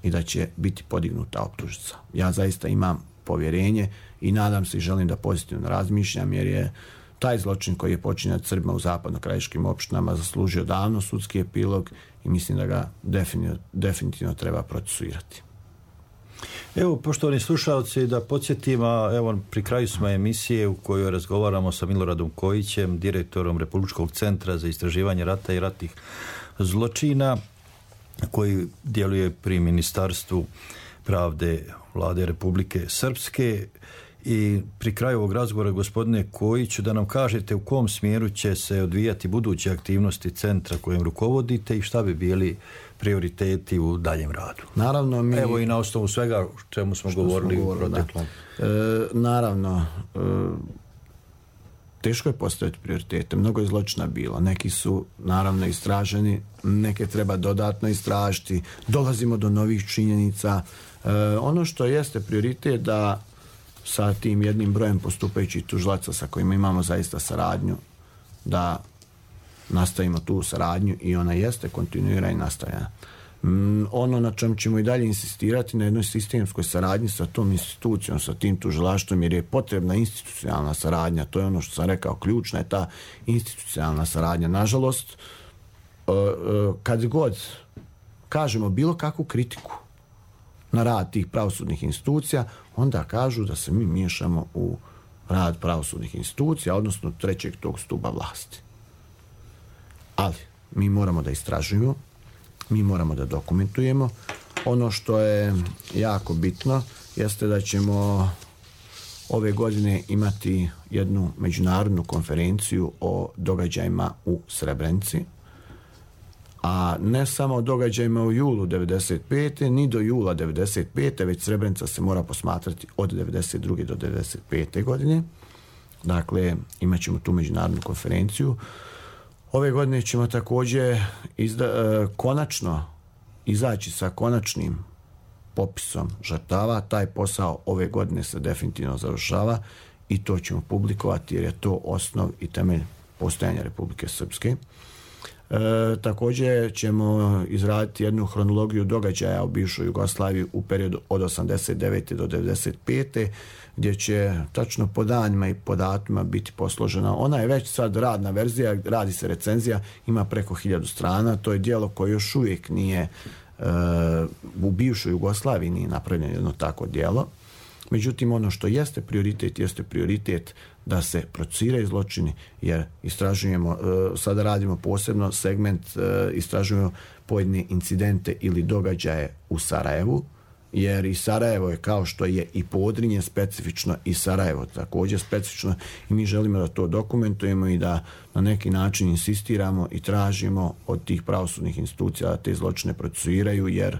i da će biti podignuta optužnica. Ja zaista imam povjerenje i nadam se i želim da pozitivno razmišljam, jer je taj zločin koji je počinjen Srbima u zapadno-krajiškim opštinama zaslužio davno sudski epilog i mislim da ga definitivno treba procesuirati. Evo, poštovani slušalci, da podsjetim, evo, pri kraju smo emisije u kojoj razgovaramo sa Miloradom Kojićem, direktorom Republičkog centra za istraživanje rata i ratnih zločina, koji djeluje pri Ministarstvu pravde Vlade Republike Srpske. I pri kraju ovog razgovora, gospodine Kojiću, da nam kažete u kom smjeru će se odvijati buduće aktivnosti centra kojim rukovodite i šta bi bili prioriteti u daljem radu. Naravno, evo i na osnovu svega čemu smo govorili u proteklom. Naravno, teško je postaviti prioritete. Mnogo je zločina bilo. Neki su naravno istraženi, neke treba dodatno istražiti. Dolazimo do novih činjenica. Ono što jeste prioritet da sa tim jednim brojem postupajućih tužilaca sa kojima imamo zaista saradnju, da nastavimo tu saradnju i ona jeste kontinuirana i nastavljena. Ono na čem ćemo i dalje insistirati na jednoj sistemskoj saradnji sa tom institucijom, sa tim tužilaštvom, jer je potrebna institucionalna saradnja. To je ono što sam rekao, ključna je ta institucionalna saradnja. Nažalost, kad god kažemo bilo kakvu kritiku na rad tih pravosudnih institucija, onda kažu da se mi miješamo u rad pravosudnih institucija, odnosno trećeg tog stuba vlasti. Ali mi moramo da istražujemo, mi moramo da dokumentujemo. Ono što je jako bitno jeste da ćemo ove godine imati jednu međunarodnu konferenciju o događajima u Srebrenici, a ne samo o događajima u julu 1995. ni do jula 1995. već Srebrenica se mora posmatrati od 1992. do 1995. godine. Dakle, imat ćemo tu međunarodnu konferenciju. Ove godine ćemo također konačno izaći sa konačnim popisom žrtava. Taj posao ove godine se definitivno završava i to ćemo publikovati jer je to osnov i temelj postojanja Republike Srpske. Također ćemo izraditi jednu hronologiju događaja u bivšoj Jugoslaviji u periodu od 89. do 95. gdje će tačno po danima i po datima biti posložena. Ona je već sad radna verzija, radi se recenzija, ima preko 1000 strana. To je djelo koje još uvijek nije u bivšoj Jugoslaviji nije napravljeno jedno tako djelo. Međutim, ono što jeste prioritet da se procesuiraju zločini, jer istražujemo, sada radimo posebno segment, istražujemo pojedine incidente ili događaje u Sarajevu, jer i Sarajevo je kao što je i Podrinje specifično, i Sarajevo također specifično, i mi želimo da to dokumentujemo i da na neki način insistiramo i tražimo od tih pravosudnih institucija da te zločine procesuiraju, jer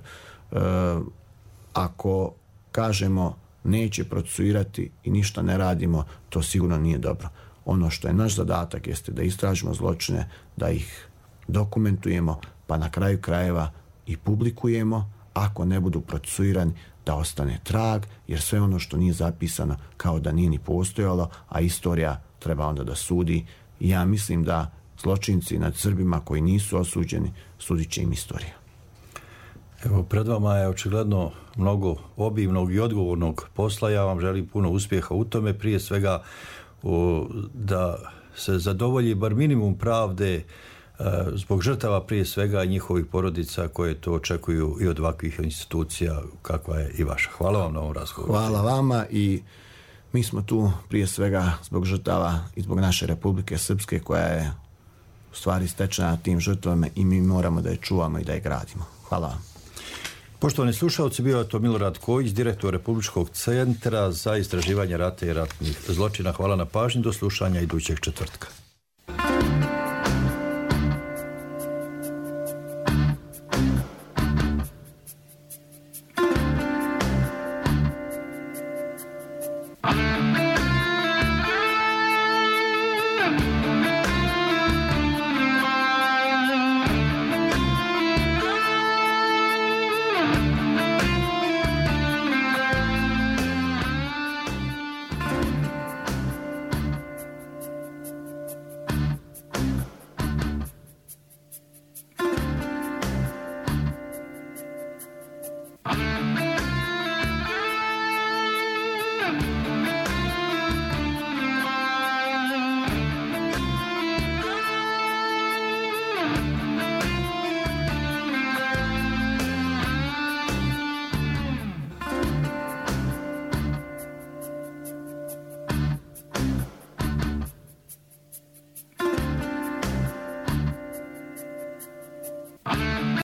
ako kažemo neće procesuirati i ništa ne radimo, to sigurno nije dobro. Ono što je naš zadatak jeste da istražimo zločine, da ih dokumentujemo, pa na kraju krajeva i publikujemo. Ako ne budu procesuirani, da ostane trag, jer sve ono što nije zapisano kao da nije ni postojalo, a istorija treba onda da sudi. I ja mislim da zločinci nad Srbima koji nisu osuđeni, sudit će im istorija. Evo, pred vama je očigledno mnogo obimnog i odgovornog posla. Ja vam želim puno uspjeha u tome. Prije svega da se zadovolji bar minimum pravde zbog žrtava, prije svega i njihovih porodica koje to očekuju i od ovakvih institucija kakva je i vaša. Hvala vam na ovom razgovoru. Hvala vama i mi smo tu prije svega zbog žrtava i zbog naše Republike Srpske koja je u stvari stečena tim žrtvama i mi moramo da je čuvamo i da je gradimo. Hvala vam. Poštovani slušalci, bio je to Milorad Kojić, direktor Republičkog centra za istraživanje rata i ratnih zločina. Hvala na pažnji, do slušanja idućeg četvrtka.